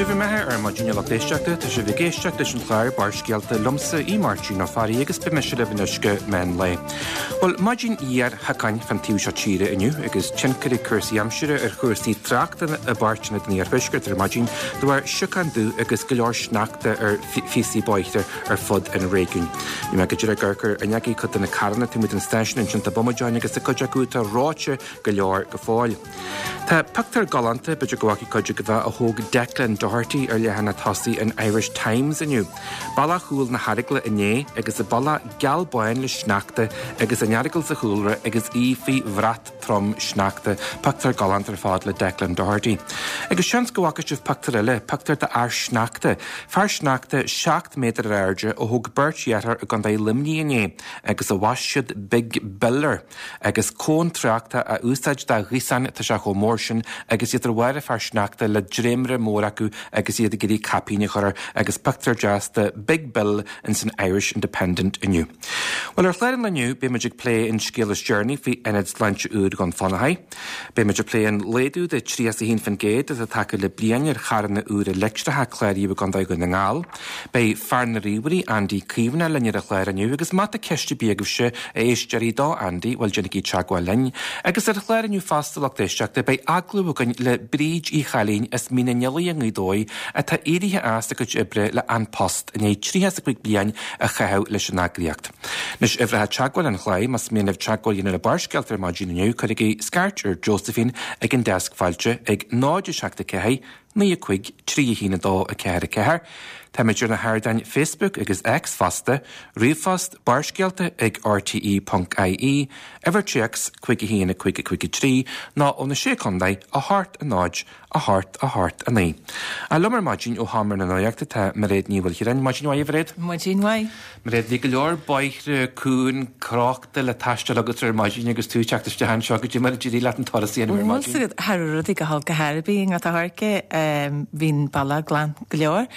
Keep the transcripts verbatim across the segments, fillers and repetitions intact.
Sibh imithe ar maidin a lucht éisteachta tá sibh ag éisteacht leis an chlár Barrscéalta liomsa í Máirtín Ó Fearraigh agus beidh mise libh anois go meán lae. Bhuel maidin fhuar shiocáin fan taobh seo tíre inniu agus tionchar ag cúrsaí aimsire ar chúrsaí tráchta i bpáirteanna den iarthuaisceart ar maidin de bharr siocán dubh agus go leor sneachta ar phíosaí bóithre ar fud an réigiúin. Bhí mé go dtí gur an ag cuid de na carranna taobh amuigh den stáisiún ansin tá bomadáin agus tá cuid acu atá reoite go leor go fóill. Tá pictiúr galánta b'fhéidir go bhfaca cuid agaibh a thóg Declan Doherty ar leathanach tosaigh an Irish Times inniu. Bealach Chúil na hEaragla inné agus an bealach geal bán le sneachta agus an Earagail sa chúlra agus í faoi bhrat trom sneachta, pictiúr galánta ar fad le Declan Doherty. Agus seans go bhfaca sibh pictiúr eile, pictiúr de fhear sneachta. Fear sneachta seacht méadar ar airde a thóg beirt dheartháir i gContae Luimnigh inné agus a bhaist siad Big Bill air. Agus cón tráchta a úsáid dá ghaosán tá sé chomh mór sin agus iad ar bharr fear sneachta le dréimire mór acu agus iad ag iarraidh caipín a chur air agus pictiúr deas de Big Bill in san Irish Independent inniu. Well ar chlár an lae inniu beimid ag plé an scéal is deireanaí faoi ionad sláinte úr Dhún Fionnachaidh. Beimid ag plé an laghdú de tríocha a haon faoin gcéad atá tagtha le bliain ar charranna úra leictreacha cláraithe i gContae Dhún na nGall. Beidh fear na ríomhairí Andy Caomhánach linn ar an chlár inniu agus má tá ceist ar bith agaibhse a éisteoirí do Andy bhuel déanaigí teagmháil linn. Agus ar chlár inniu fosta lucht éisteachta beidh agallamh againn le Bríd Uí Chailín as Mín an Fhilí i nGaoth Dobhair atá éirithe as a cuid oibre le An Post i ndiaidh tríocha a cúig bliain a chaitheamh leis an eagraíocht. Anois uimhreacha teagmháil an chláir más mian libh teagmháil a dhéanamh le Barrscéalta ar maidin inniu cuirigí scairt ar Josephine ag an deasc fáilte ag náid seacht a ceathair, naoi a cúig trí a haon a dó a ceathair a ceathair. Táimid ar na hardáin Facebook agus X fosta, ríomhphost barrscéalta ag rte.ie, uimhir téacs cúig a haon a cúig a cúig a trí nó ó na sé chontae a hocht a náid a hocht a hocht a naoi. A liom ar maidin ó Sheomra na Nuachta tá Mairéad Ní Mhaoilchiaráin, Maidin mhaith Mhairéad? Maidin mhaith. Mairéad bhí go leor bóithre cúng crochta le taisteal agat ar maidin agus tú teacht isteach anseo go dtí mar a d'éirigh leat an turas a dhéanamh ar maidin. Cha raibh rudaí go holc go hairbí ngat a thairce bhí'n bealach glan go leor.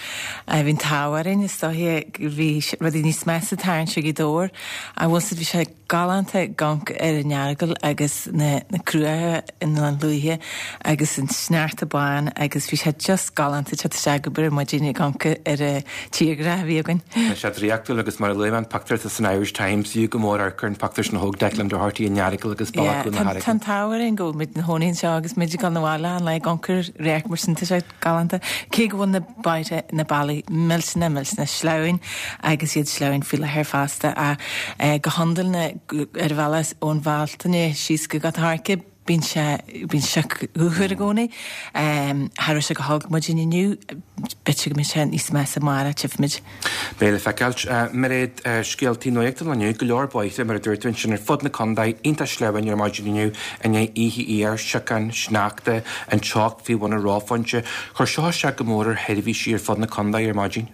Bhí'n t-ádh orainn is dóiche bhí rudaí níos measa tarraingt i dóir a bhfuil bhí sé galánta gonc ar an Earagail agus na, na cruatha in an luaithe agus an sneachta bán agus bhí sé just galánta te isteach go bur maidin gonc ar a tíorgra a bhí againn. Tá sé draíochtúil agus mar a luaigh an pictiúr san Irish Times fiú go mór ar chur an pictiúr sin a thóg Declan Doherty an Earagail agus Bealach na Tá an t-ádh orainn go muid na hónaíonn seo agus muid gan na bhaile an le goncar réic mar sin tá sé galánta. Cé go bhfuil na bóithre na bealaí millteanach millteanach sleamhain agus iad sleamhain faoi láthair fosta a eh, go hiondúil na ar bhealach ón Bhealtaine síos go Gort an Choirce bíonn sé bíonn sé úthir i gcónaí. Cha raibh sé go holc maidin inniu, b'fhéidir go mbeidh sé níos measa amárach tchífimid. Beidh le feiceáil Mairéad scéaltaí nuachta inniu go leor bóithre mar a dúirt tú ansin ar fud na contae iontach sleamhain ar maidin inniu i ndiaidh oíche fhuar siocán sneachta an teocht faoi bhun an reophointe. Chuir seo isteach go mór ar sheirbhísí ar fud na contae ar maidin.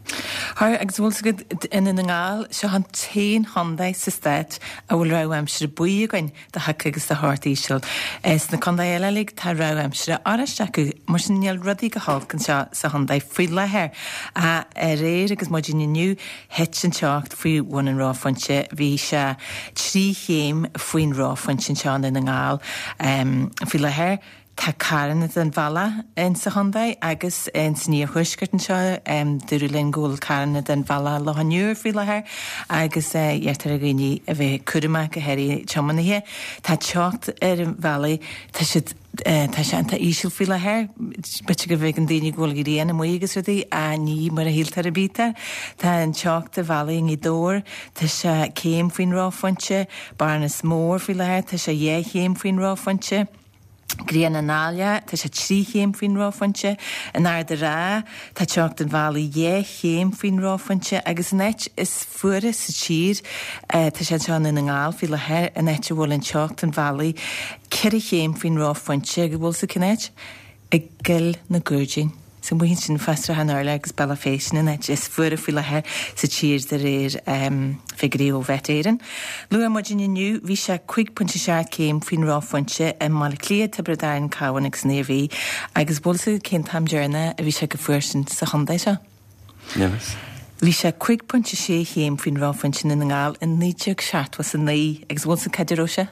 Chuir agus bhfuil go i nDún na nGall seo an t-aon chontae sa stát a bhfuil rabhadh aimsire buí againn do shioc agus do theocht íseal. Sna contaetha eile uilig tá rabhadh aimsire oráiste acu, mar sin níl rudaí go holc anseo sa chontae faoi láthair. Aréir agus maidin inniu thit an teocht faoi bhun an reophointe, bhí sé trí chéim faoin reophointe anseo i nDún na nGall um, faoi láthair. Tá carranna den bhealach in sa chontae agus in san iarthuaisceart anseo um, dúradh linn go bhfuil carranna den bhealach Loch an Iúir faoi láthair agus uh, iarrtar ar dhaoine a bheith cúramach go háirithe tiománaithe. Tá teocht ar an bhealaí tá siad Uh, tá sé an-tá íseal faoi láthair, b'fhéidir go bhfeiceann daoine go bhfuil grian amuigh agus rudaí a ní mar a shíltear a bítear. Tá an teocht ar bhealaí i nGaoth Dobhair, tá sé céim faoin reophointe, Bearnas Mór faoi láthair, tá sé dhá chéim faoin reophointe. Grian an Ailigh, tá sé trí chéim faoin reophointe, in Ard an Rátha, tá teocht an bhealaigh dhá chéim faoin reophointe agus an áit is fuaire sa tír, uh, tá sé anseo i nDún na nGall faoi láthair an áit a bhfuil an teocht an bhealaigh ceithre chéim faoin reophointe go bhfuil sa cén áit i gCill na gCuaird. San bhuion sin fásra an Orla agus Bealach Féich an áit is fuaire faoi láthair sa tír de réir um, figiúirí ó Mhet Éireann. Luath maidin inniu bhí sé cúig pointe seacht céim faoin reophointe i mBaile Átha Cliath, Tiobraid Árann, Cabhán agus an Iarmhí, agus bhfuil sa cén t-am deireanach a bhí sé chomh fuar sin sa chontae seo. Nemas. Bhí sé cúig pointe sé chéim faoin reophointe i nDún na nGall in naoi déag seachtó a naoi agus bhfuil sa cad a raibh sé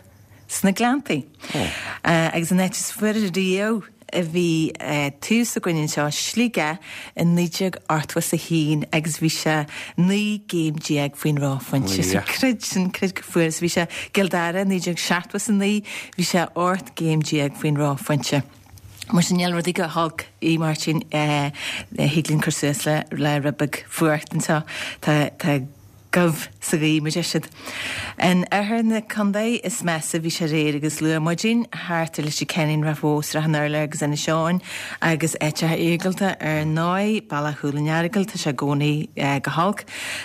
sna Gleanntaí. Oh. Uh, agus an áit is fuaire riamh bhí tús againn anseo Sligeach i naoi déag ochtó is a haon agus bhí sé naoi gcéim déag faoin reophointe. So creid sin, creid go fuar is bhí sé gCill Dara naoi déag seachtó is a naoi, bhí sé ocht gcéim déag faoin reophointe. Mar sin níl rudaí go holc í Máirtín thig linn cur suas le le rud beag fuacht anseo. Tá tá gomh sa ghaoth mar deir siad. In oirthear na contae is measa bhí sé aréir agus luath maidin thart ar Leitir Ceanainn, Ráth Bhoth, Srath an Urláir agus Inis Eoghain agus áiteacha iargúlta ar ndóigh, bealach Chúil an Earagail, tá sé i gcónaí go holc.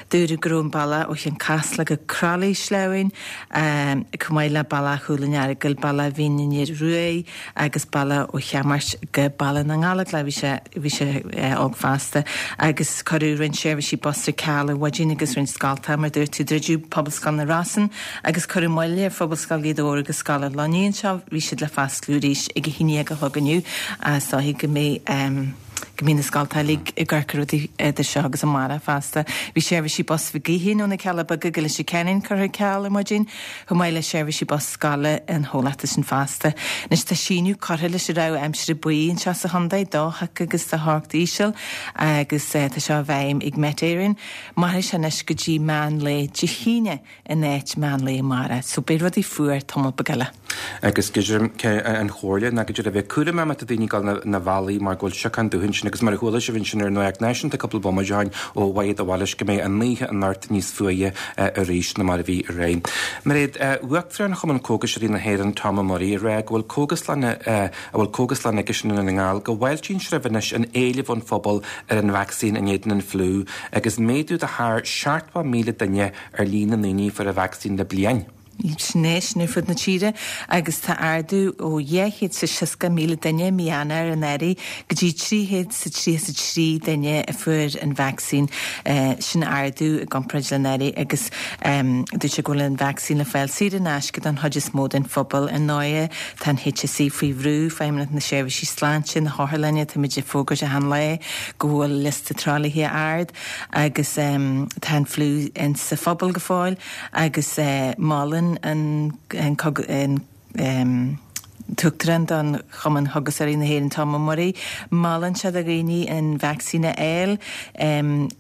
Dúradh go raibh an bealach ó Chionn Caslach go Croithlí sleamhain, chomh maith le bealach Chúil an Earagail, bealach Mhín an Fhir Ruaidh agus bealach ó Cheann go Baile na nGallóglach, bhí sé bhí sé olc fosta agus cuireadh roinnt seirbhísí bus ar ceal ar maidin agus roinnt scoltacha mar dúirt tú druideadh Pobalscoil na Rosann agus cuireadh moill ar Phobalscoil Ghaoth Dobhair agus Scoil an Luinnigh anseo, bhí siad le fosclú arís ag a haon déag a chlog inniu is dóigh go mbeidh go mbíonn na scoltacha uilig ag amharc ar rudaí idir seo agus amárach fosta. Bhí seirbhísí bus Mhig Uidhir ó na Cealla Beaga go Leitir Ceanainn curtha ar ceal ar maidin, chomh maith le seirbhísí bus scoile an chomhlachta sin fosta. Anois tá síneadh curtha leis an rabhadh aimsire buí anseo sa chontae, do theocht agus do theocht íseal agus tá seo i bhfeidhm ag Met Éireann. Mairfidh sé anois go dtí meán lae Dé hAoine in áit meán lae amárach, so beidh rudaí fuar tamall beag eile. Agus an chomhairle ná go dtí a bheith cúramach má tá daoine ag dul na bhealaí mar go bhfuil siocán dubh ansin agus mar a chuala sibh ansin ar an Nuacht Náisiúnta cúpla bomaite ó shin ó Mhairéad de Bhailís go mbeidh an oíche anocht níos fuaire arís ná mar a bhí aréir. Mairéad, Uachtarán Chumann Cógaiseoirí na hÉireann Tom Ó Muirí ag rá go bhfuil cógaslann a bhfuil cógaslann aigesean i nDún na nGall go bhfáiltíonn sé roimh anois an éileamh ón phobal ar an vacsaín in éadan an fliú agus méadú de thar seachtó míle duine ar líon na ndaoine a fuair an vacsaín le bliain. Sin é, sin ar fud na tíre agus tá ardú ó dhá chéad is seasca míle duine mí Eanáir anuraidh go dtí trí chéad is tríocha a trí duine a fuair an vacsaín. Sin ardú i gcomparáid le anuraidh agus dúirt sé go bhfuil an vacsaín le fáil saor in aisce don chuid is mó den phobal. Ar ndóigh tá an HSE faoi bhrú, Feidhmeannacht na Seirbhísí Sláinte, na hotharlanna, táimid ag fógairt achan lá go bhfuil liosta tralaithe ard agus tá an fliú in sa phobal go fóill agus molann an an an tUachtarán don Chumann Chógaiseoirí na hÉireann Tom Ó Muirí, molann sé do dhaoine an vacsaín a fháil.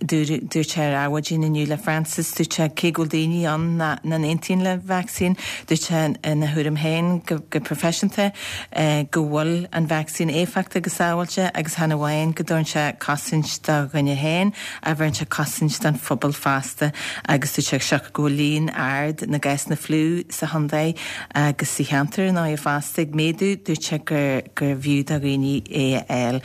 Dúirt sé ar Adhmhaidin inniu le Francis, dúirt sé cé go bhfuil daoine ann nach n-aontaíonn le vacsaín, dúirt sé ina thuairim féin go, go proifisiúnta go bhfuil an vacsaín éifeachtach agus sábháilte agus chan amháin go dtabharann sé cosaint do dhuine féin, a bheireann sé cosaint don phobal fosta agus dúirt sé seo go bhfuil líon ard na gcásanna fliú sa chontae agus sa cheantar ar ndóigh fosta ag méadú, dúirt sé gur gur bhfiú do dhaoine é a fháil.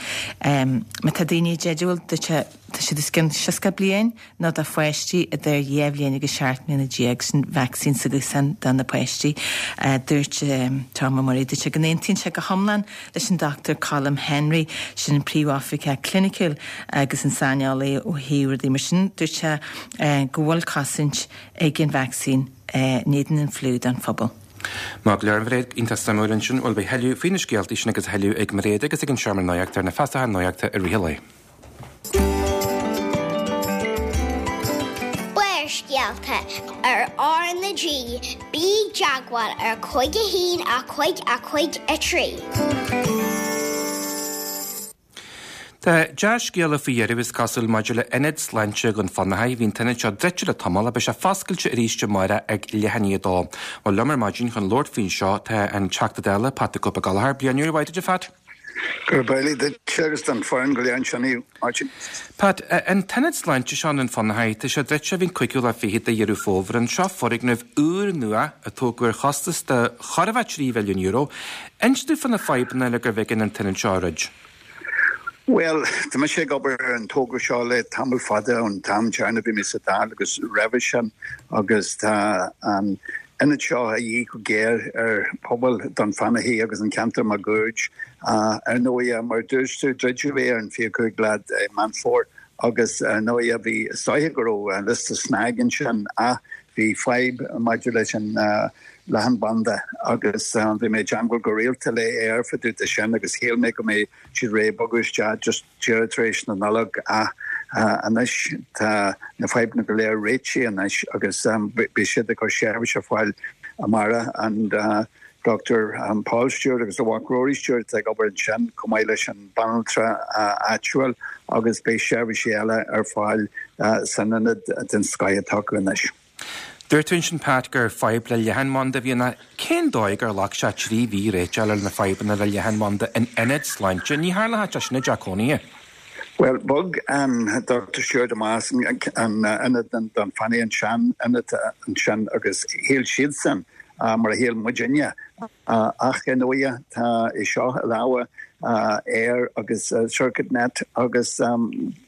Má tá daoine i dteideal, dúirt sé tá siad os cionn seasca bliain nó do pháistí idir dhá bhliain agus seacht mbliana déag sin vacsaín s'acusan do na páistí. Dúirt Tom Ó Muirí, dúirt sé go n-aontaíonn sé go hiomlán leis an Dr Colm Henry, sin an príomhoifigeach cliniciúil agus an saineolaí ó thaobh rudaí mar sin, dúirt sé go bhfuil cosaint ag an vacsaín in éadan an fliú don phobal. Má go leor an Mhairéad iontach suimiúil ansin bhuel beidh tuilleadh faoi na scéaltaí sin agus tuilleadh ag Mairéad agus ag an Seomra Nuachta ar na feasaithe nuachta i rith an lae. Barrscéalta ar R na G, bí i dteagmháil ar cúig a haon a cúig a cúig a trí. Tá dea-scéala faoi dheireadh is cosúil maidir le ionad sláinte Dhún Fionnachaidh. Bhí an t-ionad seo druidte le tamall ach beidh sé foscailte arís amárach ag leath i ndiaidh a dó. Bhuel liom ar maidin chun labhairt faoin seo tá an Teachta Dála Pat the Cope Gallagher. Bliain úr mhaith duit, a Phat. Gurb amhlaidh duit agus don foireann go léir ansin, a Mháirtín. Pat, an t-ionad sláinte seo i nDún Fionnachaidh, tá sé druidte ó bhí an cúigiú lá fichead de Dheireadh Fómhair. An seo foirgneamh úr nua a tógadh ar chostas de chóir a bheith trí mhilliún euro. Inis dúinn fá na fadhbanna le gurbh éigean an t-ionad seo a dhruid. Well, tá mise ag obair ar an togra seo le tamall fada ón t-am deireanach a bhí mé sa Dáil agus roimhe sin agus tá an ionad seo a dhíth go géar ar phobal Dún Fionnachaidh agus an ceantar máguaird. Ar ndóigh, mar dúirt tú, druideadh é ar an fiche cúig lá de Meán Fómhair agus ar ndóigh bhí is dóiche go raibh liosta snag ansin ach bhí fadhb maidir leis an leathanbhanda agus bhí mé ag teagmháil go rialta le Eir fá dtaobh de sin agus shíl mé go mbeidh siad réidh bogadh isteach just díreach tar éis na Nollag ach anois tá na fadhbanna go léir réitithe anois agus beidh siad ag cur seirbhís ar fáil amárach and Dr um, Paul Stewart agus a mhac Rory Stewart ag obair ansin chomh maith leis an banaltra áitiúil agus beidh seirbhísí eile ar fáil san ionad den scoth atá acu anois. Dúirt tú ansin Pat gur fadhb le leathanbhanda a bhí ann. Cén dóigh gur ghlac sé trí mhí réiteach ar na fadhbanna le leathanbhanda in ionad sláinte? Ní tharlaíonn sé sin i dteach cónaithe. Well bhog an Dr Stewart amach an ionad Dún Fanaí an sean ionad ansin agus shíl siadsan mar a shíl muidinne ach ar ndóigh tá é seo i lámha Eir agus Circuit Net agus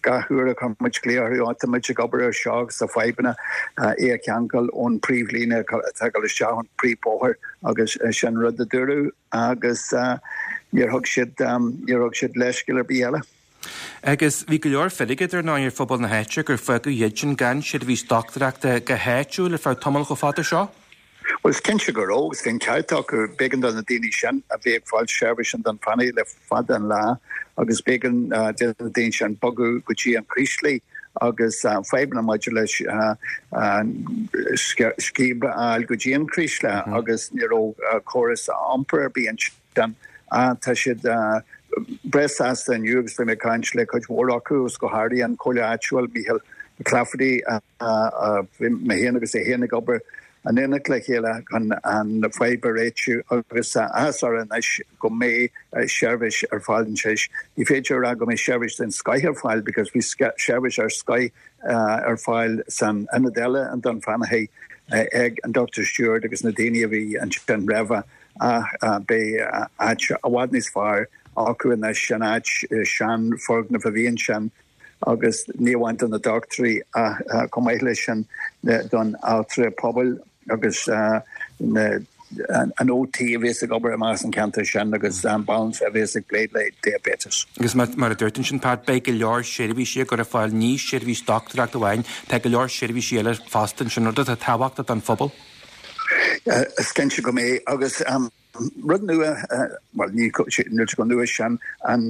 gach uair a chuir muid glaoch orthu tá muid ag obair ar seo agus tá fadhbanna é a cheangal ón príomhlíne atá ag dul isteach an príomhbhóthar agus sin rud a dúradh agus níor thug siad níor thug siad leithscéal ar bith eile. Agus bhí go leor feirge ar ndóigh ar phobal na háite gur fágadh iad sin gan seirbhís dochtúireachta go háitiúil ar feadh tamall chomh fada seo? Well is cinnte go raibh agus bhí an ceart acu b'éigean do na daoine sin a bhí ag fáil seirbhís in Dún Fanaí le fada an lá agus b'éigean do na daoine sin bogadh go dtí an Chraoslaigh agus fadhbanna maidir leis an scíb a fháil go dtí an Chraoslaigh agus ní raibh córas iompair ar bith ansin. Tá siad breá sásta inniu agus bhí mé ag caint le cuid mhór acu agus go háirithe an Comhairle Áitiúil Michael McClafferty bhí mé féin agus é féin ag obair in éineacht le chéile chun an fadhb a réitiú agus áthas orthu anois go mbeidh seirbhís ar fáil anois. Ní féidir a rá go mbeidh seirbhís den scoth ar fáil because bhí seirbhís ar scoth ar fáil san ionad eile in Dún Fanaí ag an Dr Stewart agus na daoine a bhí ansin roimhe ach beidh áit i bhfad níos fearr acu anois an áit sean foirgneamh a bhí ansin agus ní amháin do na dochtúirí ach chomh maith leis sin don altra pobail agus na an OT a bhíos ag obair amach an ceantar sin agus an banaltra a bhíos ag plé le diabetes. Agus mar a dúirt ansin Pat beidh go leor seirbhísí á gcur ar fáil ní seirbhís dochtúireachta amháin, tá go leor seirbhísí eile fosta ansin rud atá tábhachtach don phobal. Is cinnte go mbeidh agus um, rud nua well ní níl go nua sin an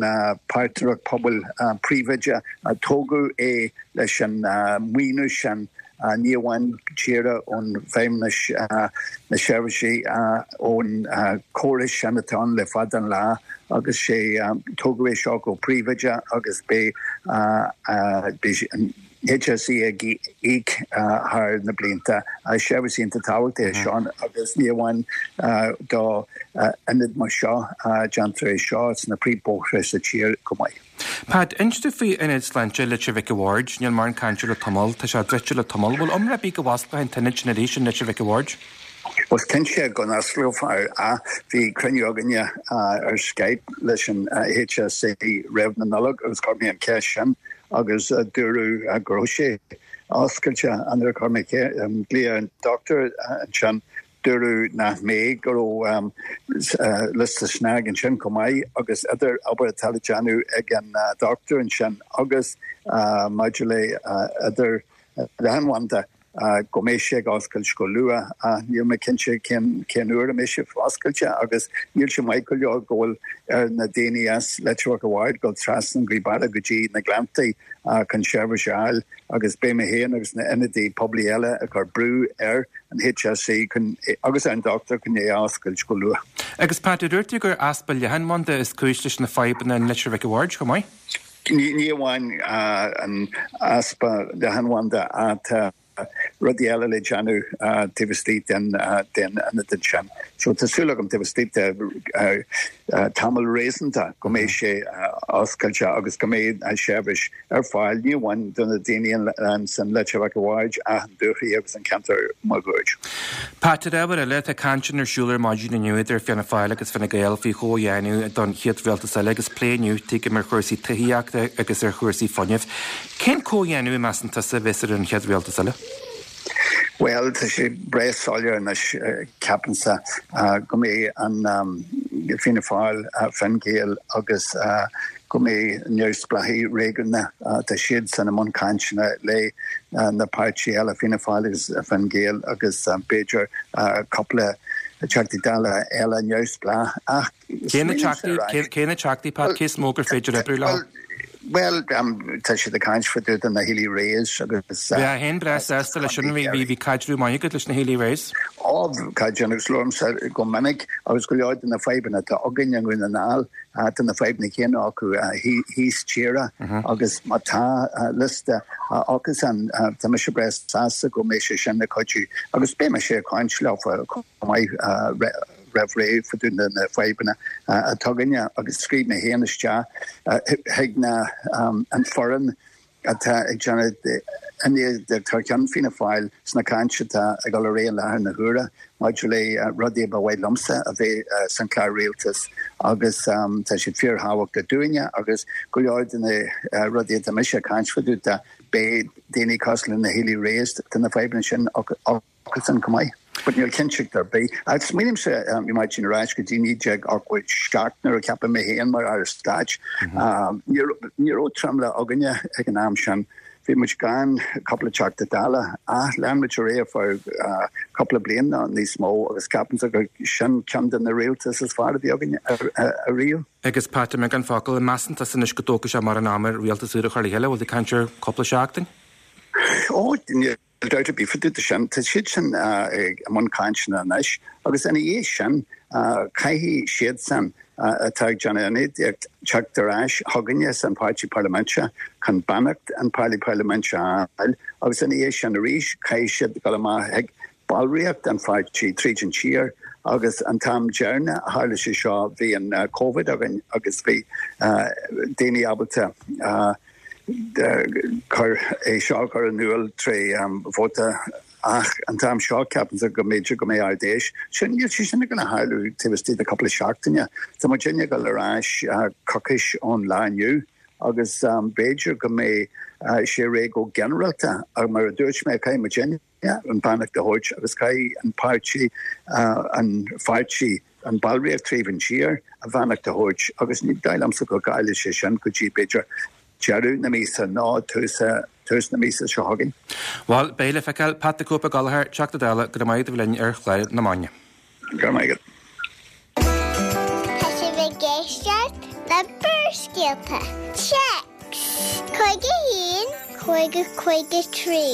páirtnéireacht pobail príomhoide tógadh é leis an maoiniú sin ní amháin tíre ón bhFeidhmeannas na seirbhísí ón córas sin atá ann le fada an lá agus sé tógadh é seo go príomhoide agus beidh an HSE ag íoc thar na blianta. Seirbhís iontach tábhachtach é seo agus ní amháin do ionad mar seo déantar é seo sna príomhbhóithre sa tír go maith. Pat, inis dom faoi Ionad Sláinte Leitir Mhic a' Bhaird, níl mórán cainte le tamall, tá sé druidte le tamall, bhfuil iomrá ar bith go bhfosclóidh an t-ionad sin arís in Leitir Mhic a' Bhaird? Was cinnte go n-osclófar a bhí cruinniú againne ar Skype leis an HSE roimh na Nollag agus chuir mé an cheist sin agus dúradh go raibh sé oscailte nuair a chuir mé glaoch an doctor ansin dúradh nach mbeidh go raibh liosta snag ansin chomh maith agus idir obair atá le déanamh ag an doctor ansin agus maidir le idir leathanbhanda go mbeidh sé ag oscailt go luath níl mé cinnte cén cén uair a mbeidh sé oscailte agus níl sé maith go leor go bhfuil ar na daoine as Leitir Mhic a' Bhaird dul trasna an Ghaoth go dtí na Gleanntaí chun seirbhís a fháil agus beidh mé féin agus na ionadaithe poiblí eile ag cur brú ar an HSE chun agus ar an doctor chun é a oscailt go luath. Agus Pat, dúirt tú gur easpa leathanbhanda is cúis leis na fadhbanna in Leitir Mhic a' Bhaird chomh maith? Ní ní amháin an easpa leathanbhanda atá rudaí eile le déanamh taobh istigh den den ionad sin. So tá súil agam taobh istigh de tamall réasúnta go mbeidh sé oscailte agus go mbeidh an seirbhís ar fáil ní amháin do na daoine an san Leitir Mhic a' Bhaird ach an Dúchoraidh agus an ceantar máguaird. Pat ar ábhar eile tá cainteanna ar siúl ar maidin inniu idir Fianna Fáil agus Fine Gael faoi chomhdhéanamh don chéad rialtas eile agus plé inniu tuigim ar chúrsaí tithíochta agus ar chúrsaí fuinnimh. Cén comhdhéanamh a measann tusa a bheas ar an chéad rialtas eile? Well tá sé breá soiléir anois ceapaimse go mbeidh an Fianna Fáil Fine Gael agus go mbeidh neamhspleáchaigh réigiúnacha tá siad san i mbun cainteanna le na páirtithe eile Fianna Fáil agus Fine Gael agus b'fhéidir cúpla Teachtaí Dála eile neamhspleách ach Cé na teachtaí cé na teachtaí Pat cé is mó gur féidir oibriú leo? Bhuel, tá siad ag caint fá dtaobh de na Healy-Raes agus. Bheifeá féin breá sásta leis sin, bhí caidreamh maith agat leis na Healy-Raes? Ó, caidreamh agus labhraímse go minic agus go leor de na fadhbanna atá againn i nDún na nGall, tá na fadhbanna céanna acu thíos tíre agus má tá liosta acusan, tá mise breá sásta go mbeidh sé sin ag cuidiú agus beidh mise ag caint leo chomh maith. roimh ré fá dtaobh de na fadhbanna atá againne agus scríobh mé féin isteach chuig na an foireann atá ag déanamh ionadaíocht thar ceann Fianna Fáil sna caint atá ag dul ar aghaidh i láthair na huaire maidir le rudaí a ba mhaith liomsa a bheith san chlár rialtais agus tá siad fíorthábhachtach dúinne agus go leor de na rudaí atá mise ag caint fá dtaobh de beidh daoine cosúil le na Healy-Raes tá na fadhbanna sin acusan chomh maith. But níl cinnteacht ar bith. Ach smaoinímse a Mháirtín ar ais go dtí naoi déag ochtó seacht nuair a ceapadh mé féin mar Aire Stáit. Ní raibh tromlach againne ag an am sin. Bhí muid gan cúpla Teachta Dála ach lean muid ar aghaidh ar feadh cúpla bliain nó níos mó agus ceapaimse gur sin ceann de na rialtais is fearr a bhí againn ariamh. Agus Pat, i mbeagán focal, an measann tusa anois go dtógfaidh sé mórán ama rialtas úr a chur le chéile? Bhfuil tú ag caint ar cúpla seachtain? Ó, níl dabht ar bith fá dtaobh de sin. Tá siad sin i mbun cainteanna anois agus ina dhiaidh sin caithfidh siadsan atá ag déanamh ionadaíocht teacht ar ais chugainne san Páirtí Parlaiminte chun beannacht an Páirtí Parlaiminte a fháil agus ina dhiaidh sin arís caithfidh siad dul amach chuig ballraíocht an pháirtí tríd an tír agus an t-am deireanach a tharla sé seo bhí an Covid againn agus bhí daoine ábalta cur é seo a chur in iúl tré vóta ach an t-am seo ceapaimse go mb'fhéidir go mbeidh Ard Fheis. Sin níl sé sin ag gabháil a tharlú taobh istigh de cúpla seachtaine. Tá muidinne ag dul ar ais coicís ón lá inniu agus b'fhéidir go mbeidh sé réidh go ginearálta ach mar a dúirt mé caithfidh muidinne an beannacht a thabhairt agus caithfidh an páirtí an pháirtí an ballraíocht tríd an tír a bheannacht a thabhairt agus ní dóigh liomsa go gcaillfidh sé sin go dtí b'fhéidir deireadh na míosa nó tús tús na míosa seo chugainn. Bhuel, beidh le feiceáil. Pat the Cope Ó Gallchóir, Teachta Dála, go raibh maith agat a bheith linn ar chlár na Maidine. Go raibh maith agat. Tá sibh ag éisteacht le Barrscéalta. Téacs cúig a haon, cúig a cúig a trí.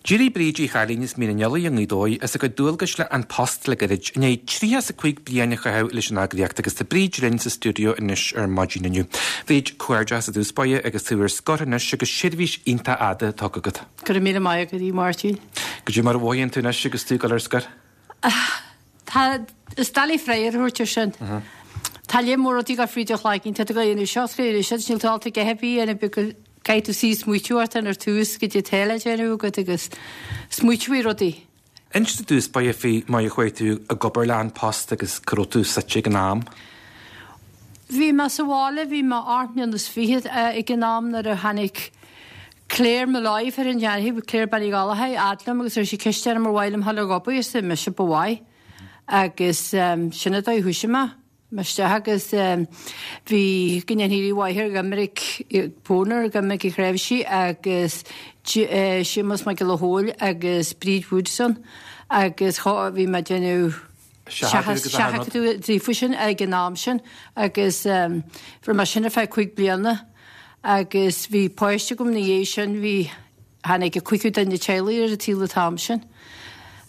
D'éirigh Bríd Uí Chailín as Mín an Eallaigh i nGaoth Dobhair as a cuid dualgais le An Post le gairid, i ndiaidh tríocha is a cúig bliain a chaitheamh leis an eagraíocht agus tá Bríd linn sa stiúideo anois ar maidin inniu. Bríd, comhghairdeas i dtús báire agus tú ar scor anois agus seirbhís iontach fhada tugtha agat. Go raibh míle maith agat, a Mháirtín. Goidé mar a mhothaíonn tú anois agus tú ag dul ar scor? Tá, is doiligh freagra a thabhairt ar sin. Tá lear mór rudaí ag dul fríd do chloigeann, tá tú ag dul a dhéanamh seo, is ag dul a dhéanamh sin, níl tú ábalta a dhath ar bith a dhéanamh because Caithfidh tú suí smaoitiú ort ar tús goidé atá le déanamh agat agus smaoitiú faoi rudaí. Inis i dtús báire faoi mar a chuaigh tú ag obair le An Post agus cá raibh tú suite ag an am. Bhí mé sa bhaile, bhí mé ocht mbliana is fiche ag an am nuair a tháinig Claire Molloy, fear an Dheanfaidh, Claire Bean Uí Ghallchóir, fhad liom agus chuir sí ceist orm ar mhaith liom dhul ag obair, arsa mise ba mhaith agus sin an dóigh a thoisigh mé. Isteach agus bhí go ndéanfaí mháthair ag imirc Pónar ag imirc a thréimhsí agus Séamus Mac Giolla Chóill agus Bríd Woodson agus bhí mé ag déanamh seachadadh daofa sin ag an am sin agus bhí mé sin ar feadh cúig bliana agus bhí páiste agam ina dhiaidh sin bhí tháinig an cúigiú duine teaghlaigh ar an tsaol an t-am sin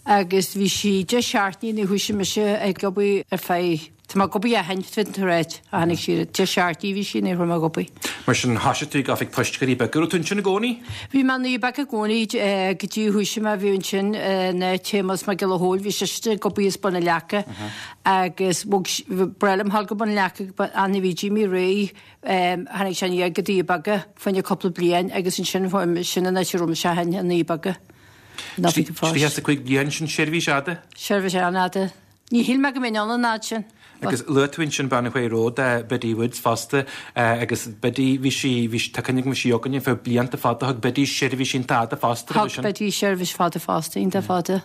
agus bhí sí deich seachtainí nuair a thoisigh mise ag obair ar feadh Tá mé ag obair ó shin, féadann tú a ráit, a tháinig sí, deich seachtainí a bhí sí nuair a chuaigh mé ag obair. Mar sin, thoisigh tú ag Oifig Poist Dhoirí Beaga. Raibh tú ansin i gcónaí? Bhí mé i nDoirí Beaga i gcónaí go dtí a thoisigh mé, bhí ansin in áit Shéamus Mac Giolla Chóill, bhí seisean ag obair as Bun an Leaca agus bhog, ba bhreá liom dhul go Bun an Leaca, ach nuair a bhí Jimmy réidh, tháinig sé aniar go Doirí Beaga fá choinne cúpla bliain agus ansin sin an áit a raibh mise ó shin, i nDoirí Beaga. In Oifig an Phoist. Tríocha is a cúig bliain, sin seirbhís fhada? Seirbhís an-fhada. Ní shíl mé go mbeinn ann an fhad sin. Agus luaigh tú ansin bean a chuaigh romhat, Biddy Woods fosta, agus Biddy, bhí sí, bhí sí, tá cuimhne agam, bhí sí againn ar feadh blianta fada, thug Biddy seirbhís iontach fada fosta roimhe sin. Thug Biddy seirbhís fada fosta, iontach fada.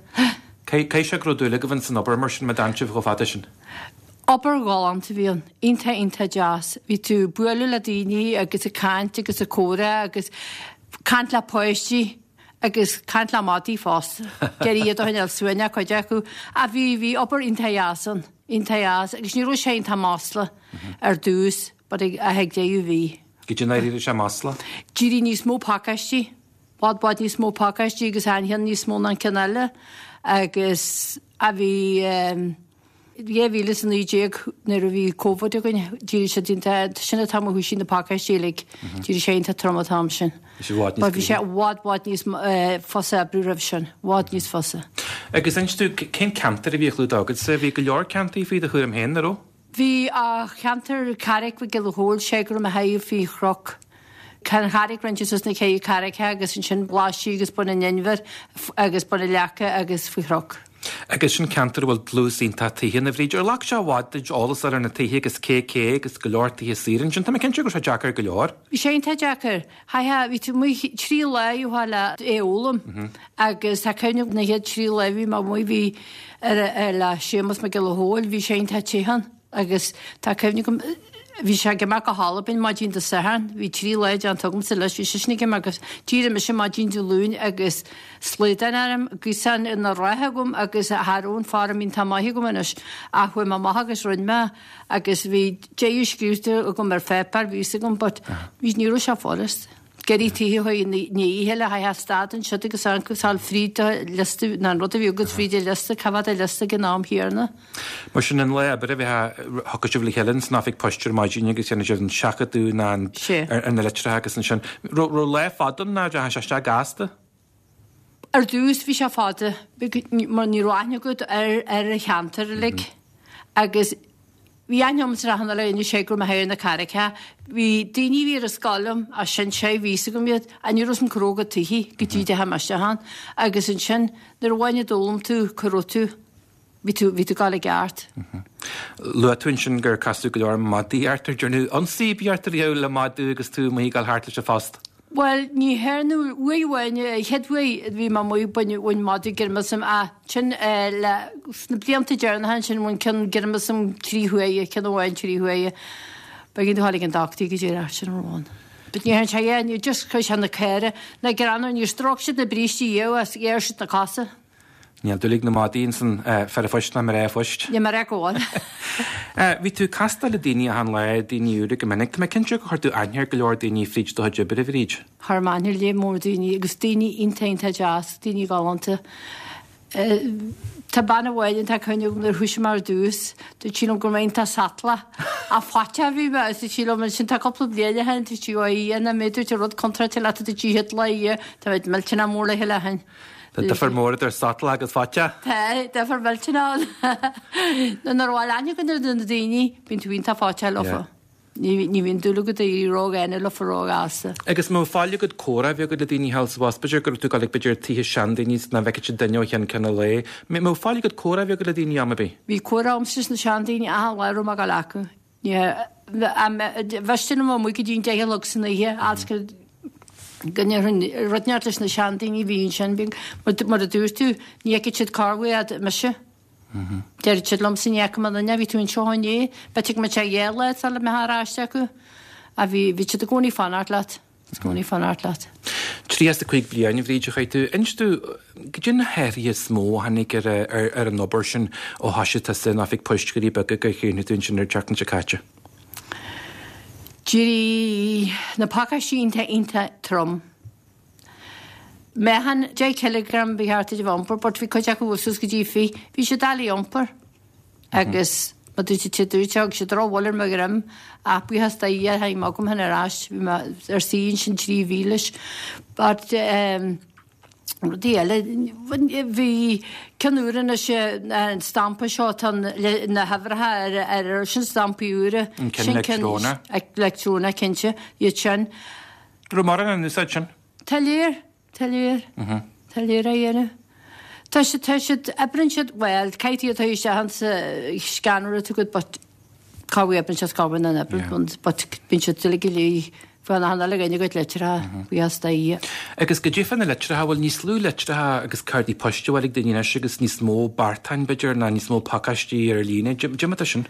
Caithfidh sé go raibh dúil agaibh ins an obair mar sin, má d'fhan sibh chomh fada sin? Obair ghalánta a bhí ann, iontach iontach deas. Bhí tú ag bualadh le daoine agus ag caint agus ag comhrá agus caint le páistí agus caint le madaí fosta. Ag iarraidh iad a choinneáil suaimhneach cuid acu. Ach bhí, bhí obair iontach dheas ann. Iontach deas agus ní raibh sé iontach maslach ar dtús but ag ag deireadh bhí. Goidé a d'éirigh sé maslach? D'éirigh níos mó pacáistí, bhfad bhfad níos mó pacáistí agus an cheann níos mó ná an ceann eile agus a bhí dhá mhíle is a naoi déag nuair a bhí Covid againn d'éirigh sé iontach sin an t-am a thoisigh na pacáistí uilig d'éirigh sé iontach trom an t-am sin. Bhí sé i bhfad níos But bhí sé i bhfad bhfad níos fusa oibriú roimh sin, bhfad níos fusa. Agus inis domh, cén ceantar a bhí á chlúdach agatsa? Bhí go leor ceantair faoi do chúram féin, an raibh? Bhí a cheantar Carraig Mhic Giolla Chóill, sé go raibh mé thaobh faoi Chnoc. Tá an Charraig roinnte suas na ceithre carraigeacha agus ansin Blaisín agus Bun an Inbhir agus Bun na Leaca agus faoi Chnoc. Agus sin ceantar a bhfuil dlús iontach tithe ann, a Bhríd. Ar ghlac sé i bhfad duit eolas a fháil ar na tithe agus cé cé agus go leor tithe saora ansin. Tá mé cinnte go raibh sé deacair go leor. Bhí sé iontach deacair. Chaithfeá, bhí tú amuigh trí lá a fháil le é a fhoghlaim agus tá cuimhne agam na chéad trí lá a bhí mé amuigh bhí ar ar le Séamus Mac Giolla Chóill, bhí sé iontach te ann agus tá cuimhne agam bhí sé ag imeacht go hAlbain maidin Dé Sathairn, bhí trí lá déanta agamsa leis, bhí seisean ag imeacht agus d'éirigh mise maidin Dé Luain agus slaghdán orm, gaosán ina rith agam agus cha raibh an form iontach maith agam anois ach chuaigh mé amach agus rinne mé agus bhí deireadh scríofa agam ar pháipéar, bhí fhios agam but bhí ní raibh sé furast. Gairí tithe chuig ní oíche le haghaidh stad ansiúd agus an sal fríd do liosta ná an rud a bhí agat fríd do liosta, cá mhéad a liosta ag an am chéanna. Mar sin an lá oibre bheith thiocfadh sibh le chéile san oifig poist ar maidin agus dhéanadh sibh an seachadadh ná an Sé. ar na litreacha agus ansin. Raibh raibh lá fada ann ná deachaigh sé isteach gasta? Ar dtús bhí sé fada mar ní raibh aithne agat ar ar an cheantar uilig agus bhí aithne agam sa rachan eile inniu sé go raibh mé ar na carraigeacha. Bhí daoine a bhí ar an scoil liom as sin sé bhí fhios agam iad a ní raibh san cróga tithe go dtí deachaigh mé isteach ann agus ansin nuair a bhain a d'fhoghlaim tú cá raibh tú bhí tú bhí tú ag gabháil i gceart. Luaigh tú ansin gur casadh go leor madaí ort ar ndearnadh ionsaí ar bith ort riamh le madadh agus tú amuigh ag dul thart leis an phost. Bhuel ní théarnú uair amháin chéad uair bhí mé amuigh bhain bhain madadh greim asam ach sin le sna blianta deireanacha ansin bhain ceann greim asam trí huaire ceann amháin trí huaire. B'éigean dom a ghabháil ag an dochtúir go dtí sin amháin. But ní théann sé é ní just chuir sé na caora na greanadh níor stróic siad na brístí riamh as ghéar siad na cosa. Níl dúil ag na madaí insan fear phoist ná mná phoist. Ní mar a gabháil. Bhí tú ag castáil le daoine achan lá, daoine úra go minic. Tá mé cinnte gur chuir tú aithne ar go leor daoine fríd do chuid oibre, a Bhríd. Chuir mé aithne ar lear mór daoine agus daoine iontach iontach deas, daoine galánta. Tá bean amháin atá cuimhne agam nuair a thoisigh mé ar dtús, dúirt sí liom go raibh mé iontach sotalach. Ach faiteach a bhí mé agus dúirt sí liom ansin tá cúpla bliain ó shin, dúirt sí, ó a Dhia, nach mbeidh dúirt rud contráilte leat dúirt sí chéad lá a tá mé millteanach mór le chéile ó shin. Tá difear mór idir sotalach agus faiteach. Tá, difear millteanach ann. Nuair a bhfuil aithne agat ar na daoine, bíonn tú iontach faiteach leofa. Ní ní bhíonn dúil agat éirí ródhaonna leofa róghasta. Agus má fáil agat comhrá a bheith agat le daoine thall sa bhus, b'fhéidir go raibh tú ag dul ag b'fhéidir tithe seandaoine nach bhfeicfeadh siad duine ó cheann ceann an lae. Má fáil agat comhrá a bheith agat le daoine am ar bith? Bhí comhrá agamsa leis na seandaoine achan lá a raibh mé ag dul acu. Bhí liom amuigh go dtí an deich a chlog san oíche agus go go ndéarfainn rud neart leis na seandaoine a bhí ansin mar a dúirt tú ní fheicfidh siad corruair mise. Deir siad liomsa ní fhaca mé an duine bhí tú anseo inné, b'fhéidir go mbeadh sé dhá lá sula mbeifeá ar ais acu. A bhí bhí siad i gcónaí ag fanacht leat. I gcónaí ag fanacht leat. Tríocha a cúig bliain a Bhríd a chaith tú. Inis domh goidé na hathruithe is mó a tháinig ar ar ar an obair sin ó thoisigh tusa in oifig poist Dhoirí Beaga gur chríochnaigh tú ansin ar an tseachtain seo caite. D'éirigh na pacáistí iontach iontach trom. Meáchan deich cileagram ba cheart duit a bheith iompar, but bhí cuid acu suas go dtí fiche. Bhí siad doiligh a iompar. Agus má dúirt siad dúirt thug siad drochbhuille ar mo dhroim ach buíochas do Dhia tháinig mé agam féin ar ais. Bhí mé ar suí ansin trí mhí leis. But um, rudaí eile bhí ceann úr anois an stampa seo tá na huimhreacha ar ar sin stampaí úra. An ceann leictreonach. Leictreonach cinnte iad sin. Raibh mórán in úsáid sin? Tá léir, tá léir. Tá léir á dhéanamh. Tá siad tá siad oibríonn siad bhuel caithfidh tú isteach an sa scanner atá agat but cá bhfuil oibríonn siad cá bhfuil an oibríonn but bíonn siad uilig go léir Fan a hanna le gaine go litreacha buíochas do Dhia. Agus goidé fá na litreacha bhfuil níos lú litreacha agus cártaí poist a bhfuil ag daoine anois agus níos mó beartáin b'fhéidir ná níos mó pacáistí ar líne. Cad é mar atá sin?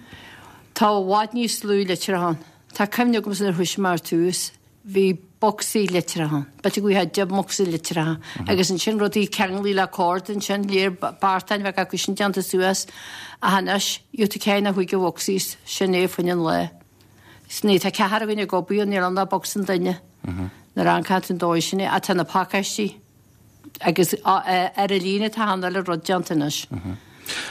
Tá i bhfad níos lú litreacha ann. Tá cuimhne agam nuair a thoisigh mé ar tús. Bhí bocsaí litreacha. B'fhéidir go bhfuil deich mbocsa litreacha. Agus ansin rudaí ceanglaí le cord ansin, léir beartáin bheadh acu sin déanta suas. Ach anois, gheobhaidh tú ceithre nó cúig de bhocsaí, sin é fá choinne an lae. Is ní, tá ceathrar againn ag obair, níl ann ach bocsa an duine. Nuair a amharcann tú an dóigh sin é, ach tá na pacáistí agus ar an líne tá achan uile rud déanta anois.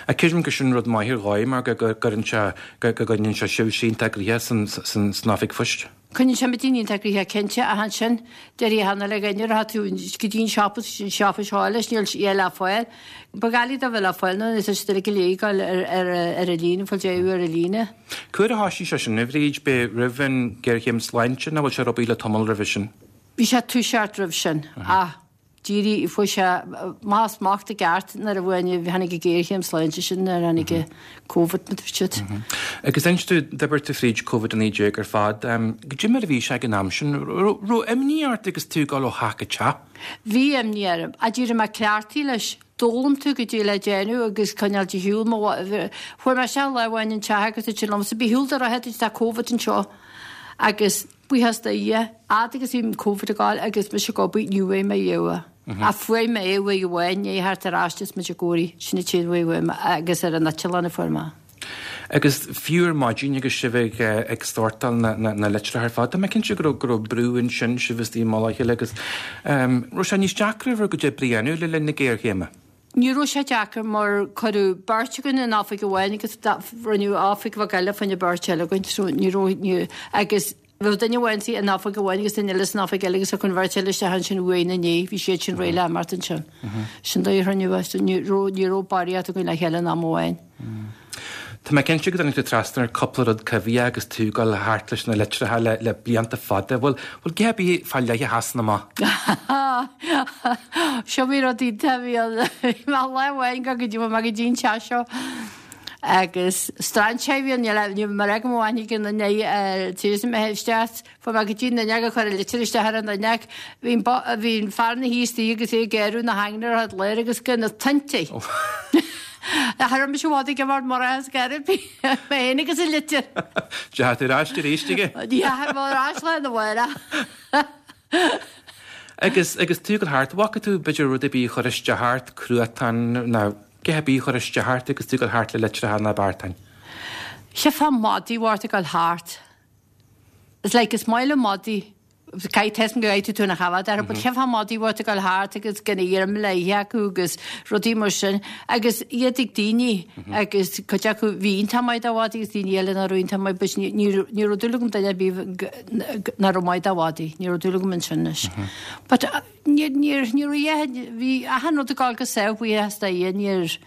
Ach creidim gur sin rud maith ar dhóigh mar go gcuireann sé, go gcoinníonn sé sibhse iontach gnoitheach san oifig phoist. Coinníonn sé muid iontach gnoitheach cinnte ach ansin deir achan uile dhuine rachaidh tú go dtí an siopa is an siopa seo leis níl sé le fáil. Ba dhoiligh dó bheith le fáil nuair is é go léir ag dul ar ar an líne fáil deireadh ar an líne. Cá huair a thoisigh sé sin, a Bhríd, b'é roimh an ghéarchéim sláinte nó bhfuil sé ag obair le tamall roimhe sin? Bhí sé ag toiseacht roimh sin ach d'éirigh, fuair sé amach smacht i gceart nuair a bhain, tháinig an ghéarchéim sláinte sin, nuair a tháinig an Covid, mar a dúirt siad. Agus inis tú, d'oibir tú fríd Covid a naoi déag ar fad. Goidé mar a bhí sé ag an am sin? Raibh imní ort agus tú ag dul ó theach go teach? Bhí imní orm. Ach d'éirigh mé cleachtaithe leis. D'fhoghlaim tú goidé le déanamh agus coinneáil de shiúl. Chuaigh mé isteach lá amháin an teach agus dúirt siad liomsa, bí shiúl do rotha, tá Covid anseo. Agus buíochas do Dhia, fhad agus bhí an Covid ag gabháil agus mise ag obair, ní bhfuair mé riamh é. Ach fuair mé é uair amháin, i ndiaidh theacht ar ais is muid ag obair, sin an t-aon uair a fuair mé agus ar an eitleán a fuair mé. Agus fiú ar maidin agus sibh ag ag sórtáil na na litreacha ar fad, tá mé cinnte go raibh go raibh brú ansin, sibh istigh i mullach a chéile agus raibh sé níos deacra bhur gcuid oibre a dhéanamh le linn na géarchéime? Ní raibh sé deacair mar cuireadh beirt againn in oifig amháin agus rinneadh oifig bheag eile fá choinne beirt eile againn so ní raibh, ní, agus bheadh duine amháin in oifig amháin agus duine eile san oifig eile agus thiocfadh an bheirt eile isteach ansin uaidh ina ndiaidh, bhí siad sin réidh le imeacht ansin. Sin dóigh a rinneadh é so ní raibh, ní raibh barraíocht againn le chéile in am amháin. Tá mé cinnte go dtáinig tú trasna ar cúpla rud coimhthíoch agus tú ag dul thart leis na litreacha le le blianta fada. Bhfuil bhfuil a dhath ar bith fá leith a sheasann amach? Seo bhí rud iontach, bhí an bhí mé lá amháin go go dtí mé go dtí an teach seo agus strainséir a bhí ann, níl ní mar ag mo bhainfidh an duine tar mé isteach, fuair mé go dtí an duine gur chuir an litir isteach ar an duine bhí an bhí an fear ina shuí istigh agus é ag gearradh na haingne ar fad léir agus go na tointí. Cha raibh mise i bhfad ag imeacht mar as gairid mé féin agus an litir. Deachaigh tú ar ais arís aige? Dheachaigh mé ar ais lá na mháire. Agus agus tú ag dul thart, bhfaca tú b'fhéidir rud ar bith a chuir isteach ort, cruatan nó a dhath ar bith a chuir isteach ort agus tú ag dul thart le litreacha ná beartáin? Cheapfá madaí a bheith ag dul thart. It's like is maith liom madaí. Caithfidh tá a fhios agam go gcaithfidh tú tú ina chabhail orthu, but cheapfá madaí a bheith ag dul thart agus gan a dhroim le ithe acu agus rudaí mar sin agus iad ag daoine agus cuid acu bhí iontach maith do mhadaí agus daoine eile nach raibh iontach maith but ní ní ní raibh dúil agam duine ar bith nach raibh maith do mhadaí, ní raibh dúil agam ansin anois. But níor níor ní raibh bhí achan rud ag dul go sámh buíochas do Dhia níor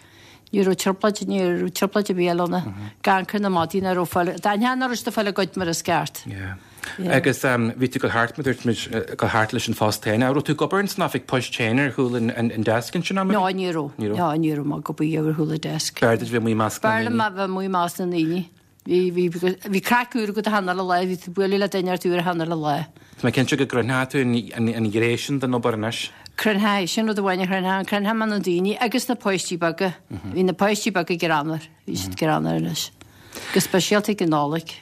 ní raibh trioblóid ní raibh trioblóid ar bith eile ann gan cur na madaí nach raibh fáil d'aithneodh nach raibh siad ag fáil a gcuid mar is ceart. Yeah. Agus bhí tú ag dul thart, mar dúirt muid, ag dul thart leis an phost féin. Raibh tú ag obair ins an oifig poist féin ar chúl an an desk ansin am ar bith? No, ní raibh. Ní raibh? No, ní raibh mé ag obair ar chúl an desk. B'fhearr duit bheith amuigh i measc na ndaoine. B'fhearr liom a bheith amuigh i measc na ndaoine. Bhí, bhí, bhí craic úr agat achan uile lá, bhí tú ag bualadh le duine ort úr achan uile lá. Tá mé cinnte go gcrothóidh tú an an ghné sin den obair anois. Chrothódh, sin rud amháin a chrothódh, chrothódh mé na daoine agus na páistí beaga. Bhí na páistí beaga greannmhar, bhí siad greannmhar anois. Go speisialta ag an Nollaig.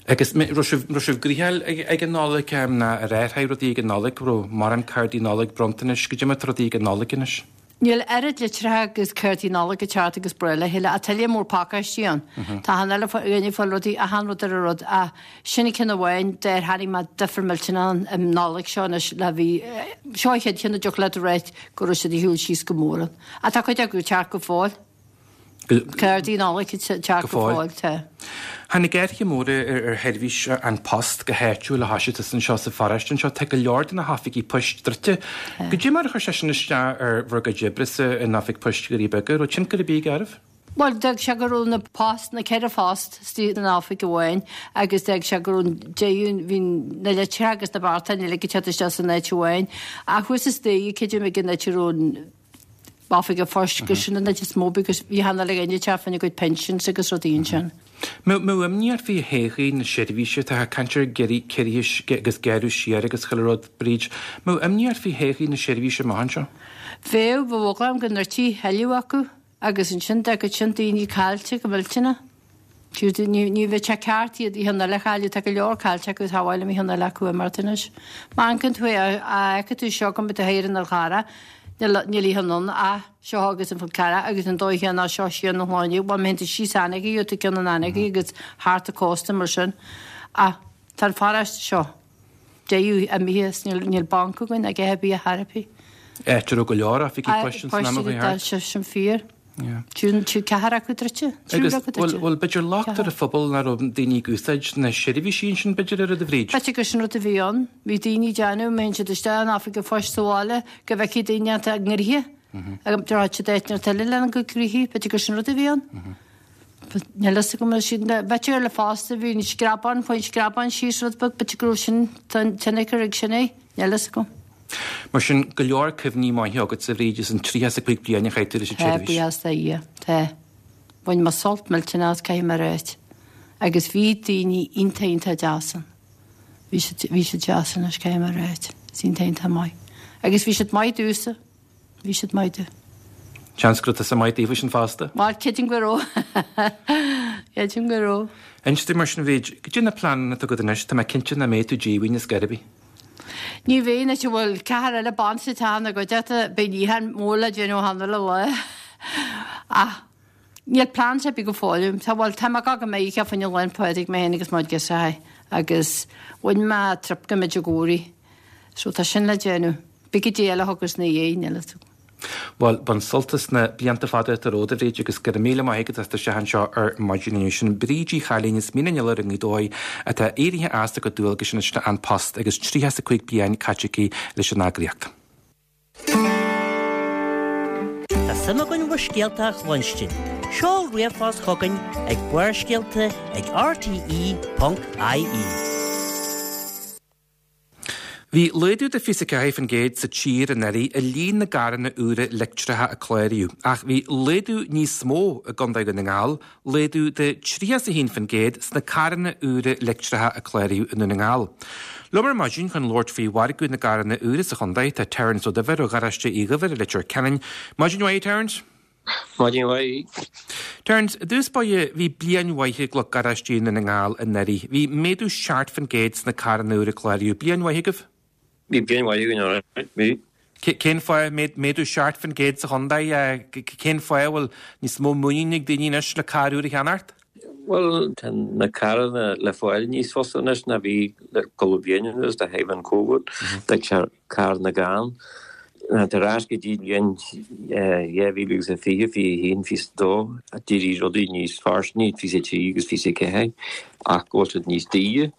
Agus raibh sibh, raibh sibh gnoitheach ag an Nollaig ná ar athraigh rudaí ag an Nollaig, raibh mórán cártaí Nollag, bronntanais, goidé mar atá rudaí ag an Nollaig anois? Níl oiread litreacha agus cártaí Nollag ag teacht agus ba le chéile, ach tá tuilleadh mór pacáistí ann. Tá achan uile dhuine ag fáil rudaí, achan rud ar an rud, ach sin an ceann amháin dár chonaic mé difear millteanach ann an Nollaig seo anois le bhí, seo an chéad cheann a dtiocfadh leat a ráit go raibh siad ag siúl síos go mór ann. Ach tá cuid acu ag teacht go fóill. Cártaí Nollag ag teacht go fóill, tá. Tháinig athruithe móra ar sheirbhís An Post go háitiúil a thoisigh tusa anseo sa pharóiste anseo. Tá go leor de na hoifigí poist druidte. Goidé mar a chuir sé sin isteach ar bhur gcuid oibre sa in Oifig Poist Dhoirí Beaga? Raibh tionchar ar bith aige oraibh? Bhuel, d'fhág sé go raibh na post, na ceithre phost istigh in oifig amháin agus d'fhág sé go raibh an deireadh, bhí na litreacha agus na beartáin uilig ag teacht isteach san áit amháin. Ach thuas istigh, creidim ag an áit a raibh an, Oifig an Phoist gur sin an áit is mó because bhí achan uile dhuine ag teacht fá choinne a gcuid pensions agus rudaí ansin. Mbeadh imní ort faoi thodhchaí na seirbhíse, tá caint ar ciorruithe agus gearradh siar agus chuile rud, Bríd. Mbeadh imní ort faoi thodhchaí na seirbhíse amach anseo? Bheadh, bheadh eagla orm go ndruidfí tuilleadh acu agus ansin d'fhágfadh sin daoine caillte go millteanach. Ní ní bheadh sé ceart iad oíche eile a chailleadh, tá go leor caillte acu tá bhfuil oíche eile acu imeacht anois. Má amharcann tú a fheiceann tú seo go mbeidh tú thiar in Fhál Charrach, níl níl oíche anonn ach seo agus an Fál Carrach agus an dóigh chéanna seo siar na hSláine, bhuel má théann tú síos Anagaidh gheobhaidh tú ceann in Anagaidh agus thart an cósta mar sin. Ach tá an pharóiste seo deireadh imithe as, níl níl banc againn ag ithe bia thar ar bith. Áit a raibh go leor oifigí poist san am a bhí thart. Tá sin fíor. Trí ceathair acu druidte. Agus bhfuil bhfuil b'fhéidir locht ar an phobal nach raibh daoine ag úsáid na seirbhísí ansin b'fhéidir oiread a Bhríd? B'fhéidir gur sin rud a bhí ann. Bhí daoine ag déanamh, má théann siad isteach in oifig an phoist sa bhaile go bhfeicfidh daoine atá i ngraithe. Agus deir siad áit neart eile lena gcuid graithí, b'fhéidir gur sin rud a bhí ann. Níl fhios agam ar siad b'fhéidir le fosta bhí an screabán, faoin screabán síos rud beag, b'fhéidir go raibh sin tionchar ag sin é, níl fhios agam. Mar sin, go leor cuimhní maithe agat a Bhríd as an tríocha is a cúig bliain a chaith tú leis an Tá, tseirbhís. buíochas do Dhia, tá. Bhain mé sult millteanach as, caithfidh mé a ráit. Agus bhí daoine iontach, iontach deas ann. Bhí siad, bhí siad deas anois, caithfidh mé a ráit. Is iontach, iontach maith. Agus bhí siad maith domhsa. Bhí siad maith domh. Seans go raibh tusa maith daofa sin fosta. Bhuel, creidim go raibh. Creidim go raibh. Inis dom mar sin, a Bhríd, goidé na pleananna atá agat anois, tá mé cinnte nach mbeidh tú díomhaoin ar scor ar bith. Ní bheidh anois, an bhfuil ceathrar eile ban sa teach ina gcuideachta, beidh níochán mór le déanamh cheana le lá. Ach níl plean ar bith go fóill agam. Tá, bhuel, tá mé ag gabháil go Meiriceá fá choinne Lá 'le Pádraig mé féin agus mo ghirseachaí agus bhain mé trip go Medjugorje. So tá sin le déanamh. Beidh goidé eile a thiocfas ina dhiaidh, níl fhios agam. Bhuel, bain sult as na blianta fada atá romhat, a Bhríd, agus go raibh míle maith agat as do theacht anseo ar maidin inniu. Sin Bríd Uí Chailín as Mín an Iolair i nGaoth Dobhair atá éirithe as a cuid dualgais anois le An Post agus tríocha is a cúig bliain caite aici leis an eagraíocht. Tá suim againn bhur scéalta a chluinstin. Seol ríomhphost chugainn ag Barrscéalta ag R T E ponc I E. Bhí laghdú de fiche ceathair faoin gcéad sa tír anuraidh i líon na gcarranna úra leictreacha a cláraíodh, ach bhí laghdú níos mó i gContae Dhún na nGall, laghdú de tríocha is a haon faoin gcéad sna carranna úra leictreacha a cláraíodh i nDún na nGall. Liom ar maidin chun labhairt faoi mhargadh na gcarranna úra sa chontae tá Terence Ó Duibhir ó Gharáiste Uí Dhuibhir i Leitir Ceanainn. Maidin mhaith, Terence. Maidin mhaith. Terence, i dtús báire bhí bliain mhaith ag lucht garáistí i nDún na nGall anuraidh. Bhí méadú seacht faoin gcéad sna carranna úra a cláraíodh. Bliain mhaith agaibh? Bhí bliain mhaith againn anuraidh, bhí. Cén fáth méadú seacht faoin gcéad sa chontae? Cén fáth a bhfuil níos mó muinín ag daoine anois le carr úr a cheannacht? Bhuel, tá na carranna le fáil níos fusa anois ná bhí le cúpla bliain anuas de thaobh an Covid, tá carranna gann. Ar ais go dtí bliain dhá mhíle agus a fiche, fiche a haon, fiche a dó, d'éirigh rudaí níos fairsine, fiche a trí agus fiche a ceathair, ach go bhfuil siad níos daoire,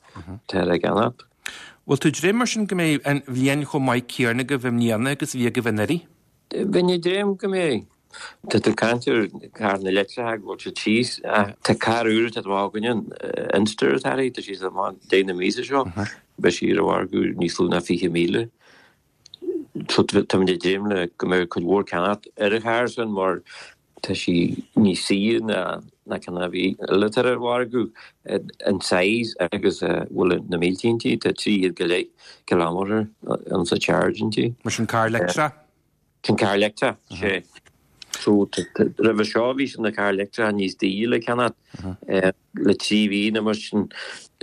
tá le ceannacht. Bhfuil tú ag dréim mar sin go mbeidh an bhliain chomh maith céanna agaibh i mbliana agus a bhí agaibh anuraidh? Bheinn ag dréim go mbeidh. Tá tú ag caint ar carranna leictreacha go bhfuil siad síos. Tá carr úr atá amach againne, Inster atá uirthi, tá sí amach deireadh na míosa seo. Beidh sí ar an mhargadh níos lú ná fiche míle. So táimid ag dréim le go mbeidh cuid mhór ceannacht ar an charr sin mar tá sí níos saoire ná na ceann a bhí eile atá ar an mhargadh, an size agus a bhfuil na mílte inti, tá trí chéad go leith kilometre an sa charge inti. Mar sin carr leictreach? Sin carr leictreach, sé. So roimhe seo bhí na cairr leictreacha níos daoire le ceannacht. Le trí mhí nó mar sin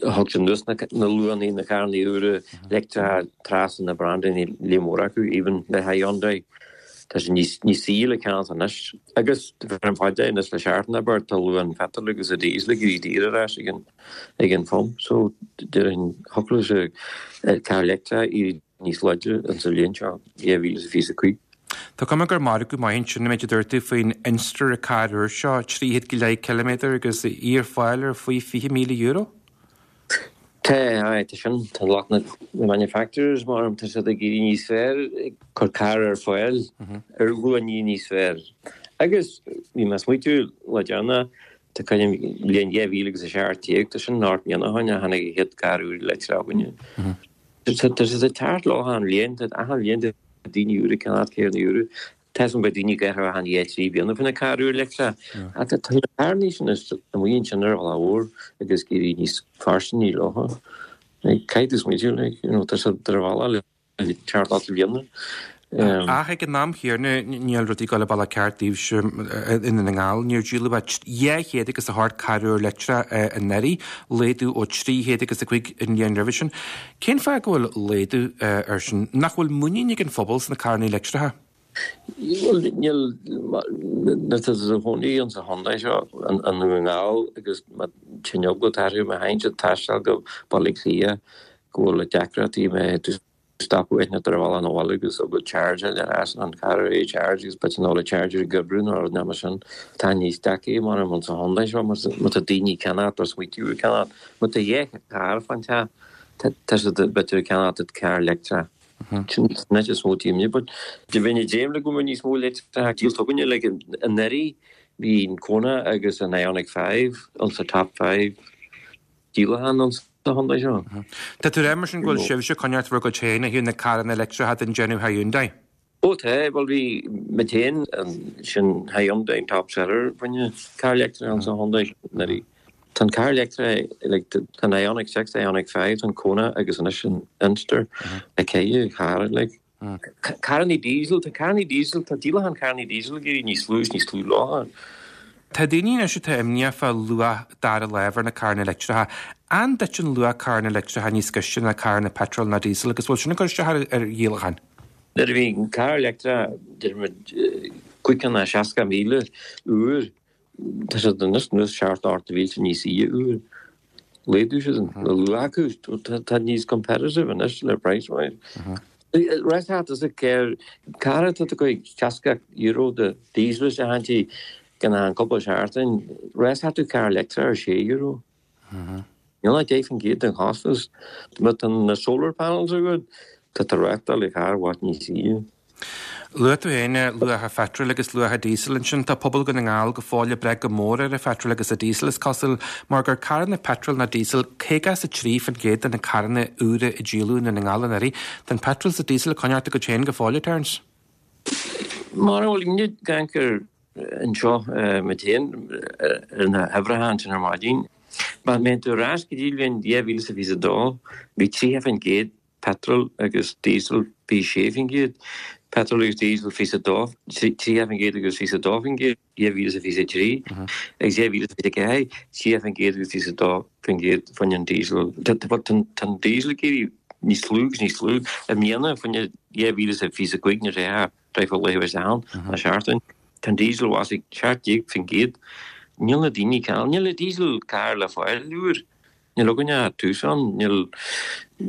thug siad anuas na luachanna na carranna úra leictreacha trasna na brandanna líon mór acu, even le Hyundai. Tá sé níos níos saoire le ceannacht anois. Agus ar an fad anois le seachtain abair tá luach an phetrol agus an diesel ag éirí daor ar ais ag an ag an phump. So déarfainn thiocfadh sé carr leictreach éirí níos láidre an sa bhliain seo dhá mhíle is fiche a cúig. Tá cuma gur margadh maith ansin an méid a dúirt tú faoin Inster an carr úr seo, trí chéad go leith ciliméadar agus í ar fáil ar faoi fiche míle euro? Tá, aye, tá sin, tá lucht na manufacturers mar tá siad ag éirí níos fearr ag cur carr ar fáil ar luachanna níos fearr. Agus bhí mé ag smaoitiú le déanaí, tá cuimhin bliain dhá mhíle agus a seacht déag, tá sin ocht mbliana ó shin a tháinig an chéad carr úr leictreach againne. Tá siad ag teacht leo achan bhliain, tá achan bhliain tá daoine úra ag ceannacht carranna úra. Tá san beidh daoine ag athrú achan dhá trí bliana faoi na carr úr leictreach. Ach tá na carranna sin amuigh ansin ar bhealach mhór agus ag éirí níos fairsine leo. Caithfidh tú smaoitiú, like, you know, tá siad ar bhealach le teacht leat bliana. Ach ag an am chéanna níl rudaí ag dul an bealach ceart daoibhse i nDún na nGall. Níor díoladh ach dhá chéad agus a hocht carr úr leictreach anuraidh, laghdú ó trí chéad agus a cúig an bhliain roimhe sin. Cén fáth go bhfuil laghdú air sin? Nach bhfuil muinín ag an phobal sna carranna leictreacha? Bhuel, níl, nuair atá tú i do chónaí insa chontae seo, i nDún na nGall, agus má tá an eagla orthu má théann siad taisteal go Baile Átha Cliath go bhfuil deacrachtaí má stopadh eithne ar bhealach na bhaile agus go charge ar ais an car é charge agus bit an ola charger ag oibriú nó rud mar sin. Tá níos deacra mar an sa chontae seo mar má tá daoine ag ceannacht nó smaoitiú ag ceannacht má tá dhá charr fán teach tá siad b'fhéidir ag ceannacht carr leictreach. Sin an áit is mó tímne but de bheith déim le go mbeidh níos mó leictreach díolta againne like anuraidh bhí an Kona agus an Ioniq five ansa top five díolachán ansa chontae seo. Tá tú ag rá mar sin go bhfuil sibhse ag coinneáilt bhur gcuid féin ó thaobh na carranna leictreacha den déanamh Hyundai? Ó tá, bhuel bhí muid féin sin Hyundai top seller fá choinne carr leictreach ansa chontae anuraidh. Tá an carr leictreach like tá an Ioniq six, Ioniq five, tá an Kona agus anois an Inster ag ceithre charr like. Carrannaí diesel, tá carrannaí diesel, tá díolachán carrannaí diesel ag éirí níos lú is níos lú lá. Tá daoine anois atá imníoch fá luach dara láimh ar na carranna leictreacha. An dtiteann luach carranna leictreacha níos gaiste ná carranna peitril ná diesel agus bhfuil sin ag cur isteach ar dhíolacháin? Nuair a bhí an carr leictreach, deir muid, cúig chéad seasca míle úr, tá siad anois suas seacht ocht mhílte níos saoire úr. Laghdú siad an luach acu, tá níos competitive anois le price wise. Rest is a carr carr atá tú ag seasca euro de diesel is a gan an cúpla seachtain, rest tú carr leictreach ar sé euro. Níl ach deich faoin gcéad den chostas. Má tá na solar panels agat, tá tú reáchtáil le carr i bhfad níos saoire. Luaigh tú féin luach an pheitril agus luach an diesel ansin. Tá pobal Dhún na nGall go fóill ag brath go mór ar an pheitreal agus an diesel is cosúil, mar gur carranna peitril ná diesel caoga is a trí faoin gcéad de na carranna úra a díoladh i nDún na nGall anuraidh. Tá an peitreal is an diesel ag coinneáilt a gcuid féin go fóill, a Terence. Mar a bhfuil inniu gan cur anseo muid féin ar na huimhreacha ansin ar maidin. Má théann tú ar ais go dtí bhliain dhá mhíle is a fiche a dó, bhí tríocha faoin gcéad peitreal agus diesel fiche sé faoin gcéad, peitreal agus diesel fiche a dó, tríocha faoin gcéad agus fiche a dó faoin gcéad, dhá mhíle is a fiche a trí, agus dhá mhíle is a fiche a ceathair, tríocha faoin gcéad agus fiche a dó faoin gcéad fá choinne an diesel. Tá an diesel ag éirí níos lú agus níos lú. I mbliana fá choinne dhá mhíle is a fiche a cúig nuair a théadh lá is ann, na seachtain. Tá an diesel bhásaigh ag seacht déag faoin gcéad. Níl na daoine ag ceannach, níl diesel car le fáil úr. Níl againne ach Tucson, níl,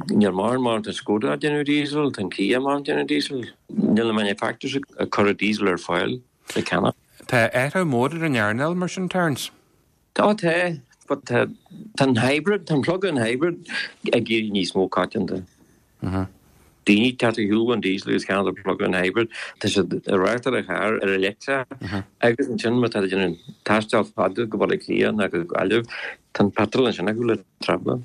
níl mórán mar tá Skoda ag déanamh diesel, tá an Kia mar ag déanamh diesel. Níl na manufacturers ag cur diesel ar fáil le ceannach. Tá athrú mór ar an earnáil mar sin, Terence? Tá, tá, but tá, tá an hybrid, tá an plug-in hybrid ag éirí níos mó coitianta. Daoine teacht ar shiúl an diesel agus ceannach an plug-in hybrid, tá siad ag reáchtáil an charr ar an leictreach agus ansin má tá déanamh taisteal fada go Baile Átha Cliath nó go Gaillimh, tá an petrol ansin acu le travelling.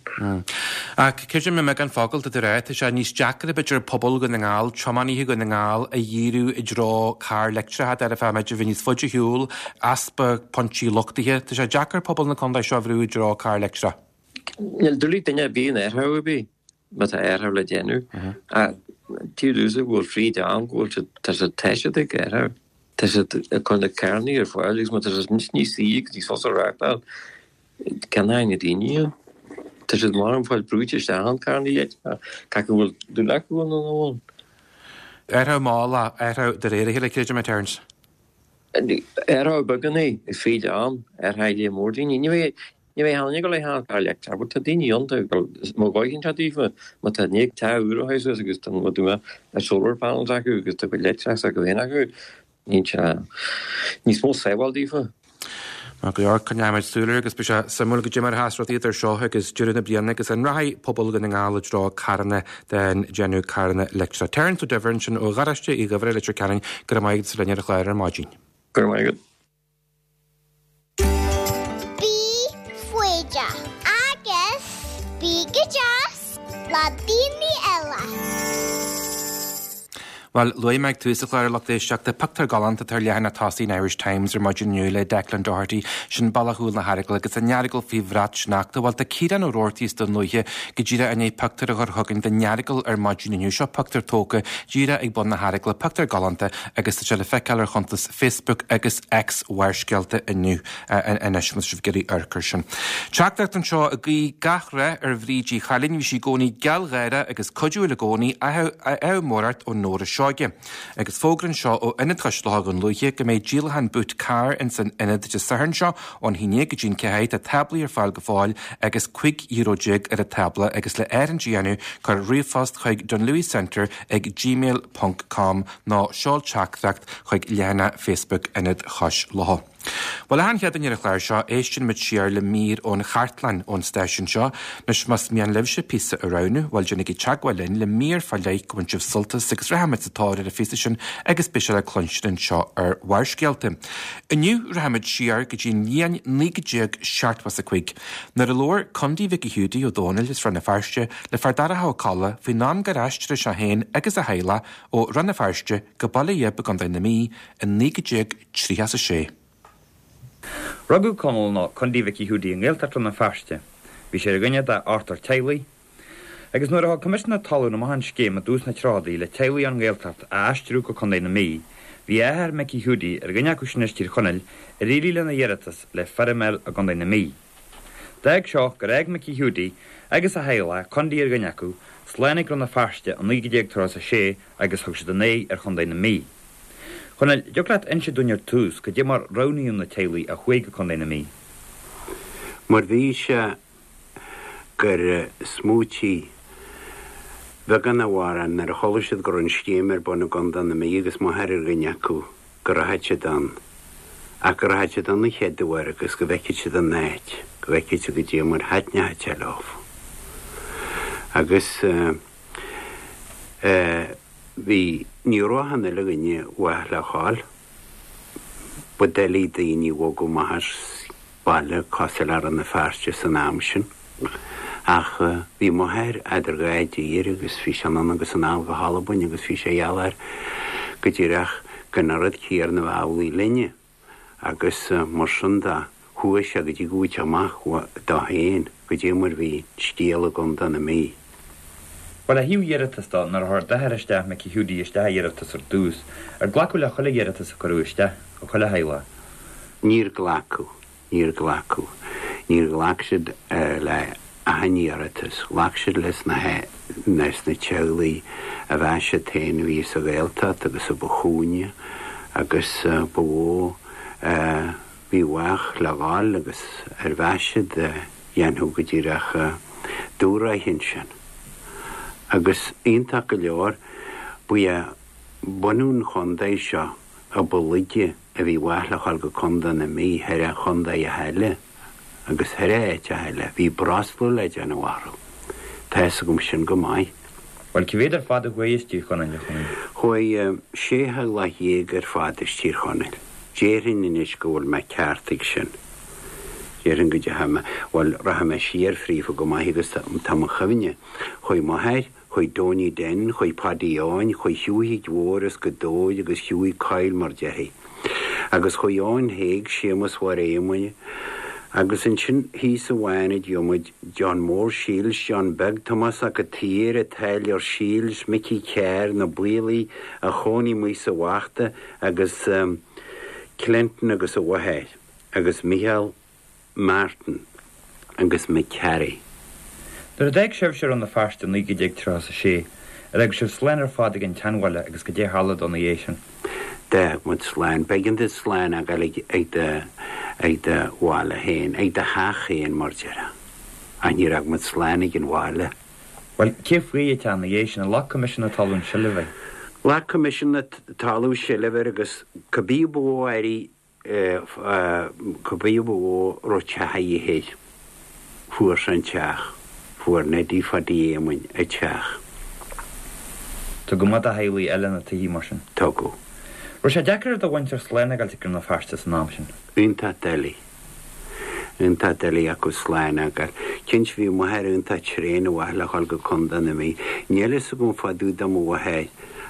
Ach creidim i mbeagán focal tá tú ag rá, tá sé níos deacra b'fhéidir pobal Dhún na nGall, tiománaithe Dhún na nGall a dhíriú i dtreo carr leictreach de bharr b'fhéidir bheith níos faide ar shiúl, easpa pointí luchtaithe, tá sé deacair pobal na contae seo a bhrú i dtreo carr leictreach. Níl dúlaí duine ar bith in aertha ar bith. Má tá aertha le déanamh. Tír úsa go bhfuil fríd ann go bhfuil siad tá siad tá siad ag aertha. Tá siad ag cur na carrannaí ar fáil agus má tá siad níos níos saoire agus níos fusa a reáchtáil ceannóidh na daoine iad. Tá siad mar an fáil brúite isteach an carrannaí leictreacha cé go bhfuil dúil acu ann nó nach bhfuil. Aertha mall aertha de réir a chéile creidim é Terence. Aertha beagán é fríd ann aertha le mór daoine. Ní bheidh Ní bheidh aon eagla le carr leictreach, but tá daoine ann tá mo dhóigh anseo daofa má tá ní tá úr a suas agus tá mo dúma a solar panels acu agus tá cuid leictreachas acu féin acu níl sé níos mó sábháil daofa. Maith go leor, coinneoimid súil air agus beidh sé suimiúil goidé mar a sheas rudaí idir seo agus deireadh na bliana agus an rachaidh pobal Dhún na nGall i dtreo carranna den déanamh carranna leictreacha. Terence Ó Duibhir ansin ó Gharáiste Uí Dhuibhir i Leitir Ceanainn, go raibh maith agat as a bheith linn ar an chlár ar maidin. Go raibh maith agat. Bí foighdeach agus bí go deas le daoine eile. Bhuel, luaigh mé ag tús an chláir a lucht éisteachta, pictiúr galánta atá ar leathanach tosaigh an Irish Times ar maidin inniu le Declan Doherty, sin Bealach Chúl na hEaragaile agus an Earagail faoi bhrat sneachta. Bhuel, tá Ciarán Ó Roarty as Dún Lúiche go díreach i ndiaidh pictiúr a chur chugainn den Earagail ar maidin inniu. Seo pictiúr tógtha díreach ag bun na hEaragaile, pictiúr galánta agus tá sé le feiceáil ar chuntas Facebook agus X Bharrscéalta inniu anois, má tá sibh ag iarraidh amharc air sin. Teachtaireacht anseo ag guí gach rath ar Bhríd Uí Chailín, bhí sí i gcónaí gealgháireach agus cuidiúil i gcónaí, ádh mór ort ó Nóra Seoige. Agus fógra anseo ó Ionad Chois Locha Dhún Lúiche go mbeidh díolachán Boot Car ins an ionad Dé Sathairn seo ón haon déag go dtí an ceathair. Tá táblaí ar fáil go fóill agus cúig euro déag ar an tábla agus le áirithint a dhéanamh cuir ríomhphost chuig dunlewycentre ag gmail ponc com nó seol teachtaireacht chuig leathanach Facebook Ionad Chois Locha. Bhuel, achan Chéadaoin ar an chlár seo, éisteann muid siar le mír ón chartlann ón stáisiún seo. Anois, más mian libhse píosa a roghnú, bhuel, déanaigí teagmháil linn le mír fá leith go bhain sibh sult as agus rachaimid sa tóir ar an phíosa sin agus beidh sé le cluinstin anseo ar Bharrscéalta. Inniu, rachaimid siar go dtí an bhliain naoi déag seachtó is a cúig, nuair a labhair Condaí Mhicí Hiúdaí Ó Dónaill as Rann na Feirste le Fear Darach Ó Colla faoin am gur aistrigh sé féin agus a theaghlach ó Rann na Feirste go Baile Ghib i gContae na Mí i naoi déag tríocha is a sé. Rugadh Conall nó Condaí Mhicí Hiúdaí i nGaeltacht Rann na Feirste. Bhí sé ar dhuine de ochtar teaghlaigh. Agus nuair a thug Coimisiún na Talún amach an scéim i dtús na dtríochaidí le teaghlaigh ón nGaeltacht a aistriú go Contae na Mí, bhí a athair Micí Hiúdaí ar dhuine acu sin as Tír Chonaill ar éirigh lena iarratas le feirm a fháil i gContae na Mí. D'fhág seo gur fhág Micí Hiúdaí agus a theaghlach, Condaí ar dhuine acu, slán ag Rann na Feirste i naoi déag tríocha a sé agus thug siad a n-aghaidh ar Chontae na Mí. Chonaill, dtiocfadh leat inse dúinn ar tús cad é mar roghnaíodh na teaghlaigh a chuaigh go Contae na Mí? Mar bhí sé gur smaoitigh beagán a mhórán nuair a chuala siad go raibh an scéim ar bun i gContae na Mí agus m'athair ar dhuine acu go rachadh siad ann ach go rachadh siad ann an chéad uair agus go bhfeicfeadh siad an áit, go bhfeicfeadh siad cad é mar thaitneochadh sé leo. Agus eh, Bhí, ní raibh achan uile dhuine mhaith le dhul. Ba doiligh daoine a bhogadh amach as baile cosúil le Rann na Feirste san am sin. Ach bhí m'athair eadar dhá dtír agus bhí sé anonn agus anall go hAlbain agus bhí sé gheall air go díreach gan an rud céanna a bheith amhlaidh linne. Agus mar sin de, chuaigh sé go dtí go bhfuair sé amach dó féin goidé mar bhí scéal i gContae na Mí. Bhuel, ó thaobh iarratas de, nuair a chuir d'athair isteach, Micí Hiúdaí, isteach a iarratas ar dtús, ar glacadh le chuile iarratas a cuireadh isteach, ó chuile theaghlach? Níor glacadh. Níor glacadh. Níor ghlac siad le achan iarratas. Ghlac siad leis na leis na teaghlaigh a mheas siad féin a bhí sa Ghaeltacht agus a ba chúinge agus ba mhó a bhí mhaith le dhul agus ar mheas siad a dhéanfadh go díreach dúshraith ansin. Agus iontach go leor, ba é bunú an chontae seo a ba laige a bhí mhaith le dhul go Contae na Mí thar a chontaetha eile agus thar áiteacha eile. Bhí brostú le déanamh orthu. Tá fhios agam sin go maith. Bhuel, cé mhéad ar fad a chuaigh as Tír Chonaill, a Chonaill? Chuaigh sé theaghlach dhéag ar fad as Tír Chonaill. Déarfainn anois go bhfuil mé ceart ag sin. Déarfainn go dteachaidh mé, bhuel, rachaidh mé siar fríofa go maith agus tá mo chuimhne. Chuaigh m'athair, chuaigh Donie Den, chuaigh Paddy Eoin, chuaigh Hughie Mhór as Gaoth Dobhair agus Hughie Coyle mar déarfaí. Agus chuaigh Eoin Thaidhg, Séamus Mháire Éamoinn agus ansin thíos i bhFánaid gheobhaidh muid John Mór Shiels, John Beag, Tomás 'Ac a' tSaoir, an Táilliúir Shiels, Micí Carr, na Baolaigh a chónaigh amuigh sa Bhachta agus Clinton agus a mháthair agus Micheál Martin agus McCarry. Nuair a d'fhág sibhse Rann na Feirste i naoi déag tríocha a sé, ar fhág sibh slán ar fad ag an tseanbhaile agus goidé a tharla dó ina dhiaidh sin? D'fhág muid slán. B'éigean duit slán a fhágáil ag ag do ag do bhaile féin, ag do theach féin mar déarfá. Ach níor fhág muid slán ag an bhaile. Bhuel, cé fuair an teach ina dhiaidh sin? Ar ghlac Coimisiún na Talún seilbh air? Ghlac Coimisiún na Talún seilbh air agus cibé ba mhó airí cibé ba mhó a raibh teach a dhíth air, fuair sé an teach, fuair Neidí Phadaí Éamoinn an teach. Tugadh amach do theaghlaigh eile na tithe mar sin? Tugadh. Raibh sé deacair ar do mhuintir slán a fhágáilt ag Rann na Feirste san am sin? Iontach doiligh. Iontach doiligh acu slán a fhágáil. Cinnte bhí m'athair iontach tréan ar mhaith le dhul go Contae na Mí. Níl fhios agam fá dtaobh de mo mháthair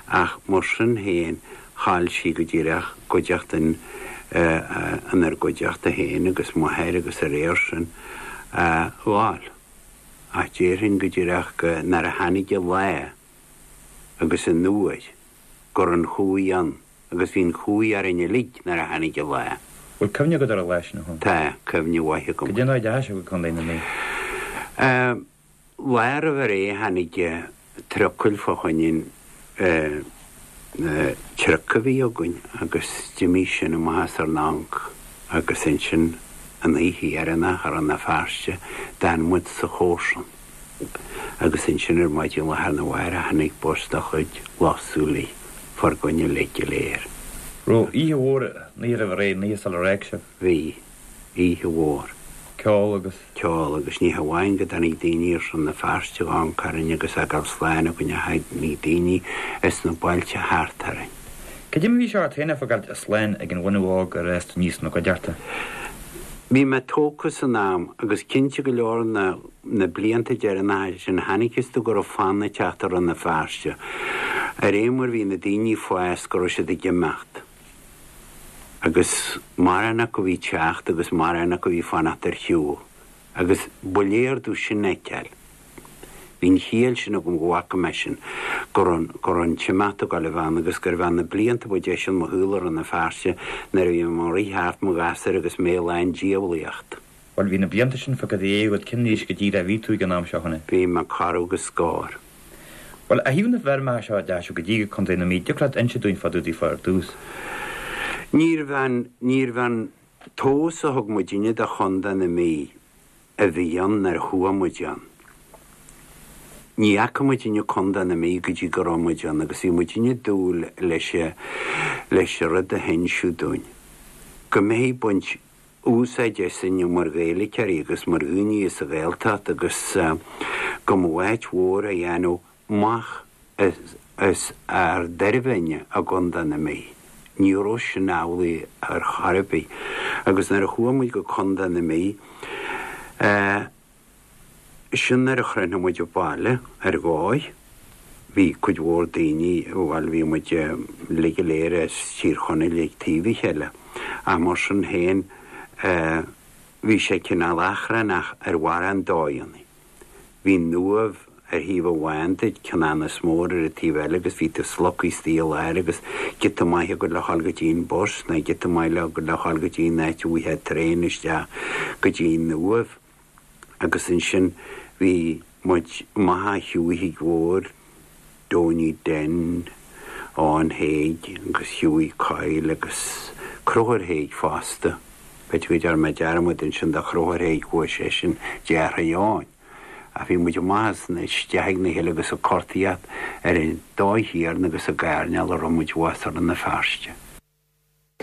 Ach mar sin féin, chaill sí go díreach cuideachta inár gcuideachta féin agus m'athair agus a réir sin a fháil. Ach déarfainn go díreach go nuair a tháinig an lá agus an uair go raibh an chumhaidh ann agus bhí an chumhaidh orainn uilig nuair a tháinig an lá. Bhfuil cuimhne agat ar an lá sin, a Chonaill? Tá, cuimhne mhaith agam. Cad é an dóigh a dteachaigh sibh go Contae na Mí? Lá roimh ré tháinig trucail fá choinne an truc a bhí againn agus d'imigh sin amach as ár n-amharc agus ansin an oíche dheireanach i Rann na Feirste d'fhan muid sa chomharsan agus ansin ar maidin lá arna mhárach tháinig bus de chuid Loch Súilí fár gcoinne uilig go léir. Raibh oíche mhór an oíche roimh ré, an oíche sular fhág sibh? Bhí. Oíche mhór. Ceol agus. Ceol agus ní hamháin go dtáinig daoine as Rann na Feirste ag amharc orainn agus ag gabháil slán againn ach tháinig daoine as na bailte thart orainn. Cad é mar a bhí sé ort féin ag fágáilt slán ag an bhunadh óg ar fhás tú aníos ina gcuideachta? Bhí mé tógtha san am agus cinnte go leor na na blianta deireanacha sin chonacthas domh go raibh fonn ag teacht ar Rann na Feirste. Ar aon mar bhí na daoine ag fás go raibh siad ag imeacht. Agus mórán acu a bhí ag teacht agus mórán acu a bhí ag fanacht ar shiúl. Agus ba léir domh sin a fheiceáil. Bhí an chiall sin agam go bhfaca mé sin, go raibh, go raibh an t-imeacht ag dul a bheith ann agus gurbh ea na blianta ba deise i mo shaol i Rann na Feirste nuair a bhí mé ag rith thart mo ghasúr agus mé lán diabhlaíocht. Bhuel, bhí na blianta sin fágtha i ndiaidh agat, cén aois go díreach a bhí tú ag an am seo, a Chonaill? Bhí mé corradh agus scór. Bhuel, ó thaobh na bhfeirmeacha seo a dteachaigh sibh go dtí go Contae na Mí, dtiocfadh leat inse dúinn fá dtaobh daofa ar dtús? Níorbh an, níorbh an tomhas a thug muidinne de Chontae na Mí a bhí ann nuair a chuaigh muid ann. Ní fhaca muidinne Contae na Mí go dtí go raibh muid ann agus bhí muidinne ag dúil leis, leis an rud a hinsíodh dúinn, go mbeifí ag baint úsáid asainn mar Ghaeilgeoirí agus mar dhaoine as an Ghaeltacht agus go mba áit mhór a dhéanamh amach as ár dtairbhe i gContae na Mí. Ní raibh sin amhlaidh ar chor ar bith. Agus nuair a chuaigh muid go Contae na Mí, sin nuair a shroich muid an baile ar dhóigh. Bhí cuid mhór daoine, bhuel bhí muid uilig go léir as Tír Chonaill ag taobh a chéile. Ach mar sin féin, bhí sé cineál achrannach ar mhórán dóigheanna. Bhí an Uaimh ar thaobh amháin duit, Ceanannas Mór ar an taobh eile agus bhí tú slogtha istigh i lár agus giota maith agat le dhul go dtí an bus nó giota maith agat le dhul go dtí an áit a bhfaighfeá traein isteach go dtí an Uaimh. Agus ansin bhí muid amach ar shiúl Thigh Mhór, Donie Den, Eoin Thaidhg agus Hughie Coyle agus Conchúr Thaidhg fosta. B'fhéidir go ndearna mé dearmad ansin de Chonchúr Thaidhg, chuaigh seisean deartháir Eoin. Ach bhí muid amach as na isteach ag na hill agus ag cortaíocht ar an dóigh chéanna agus ag airneál a raibh muid abhus i Rann na Feirste.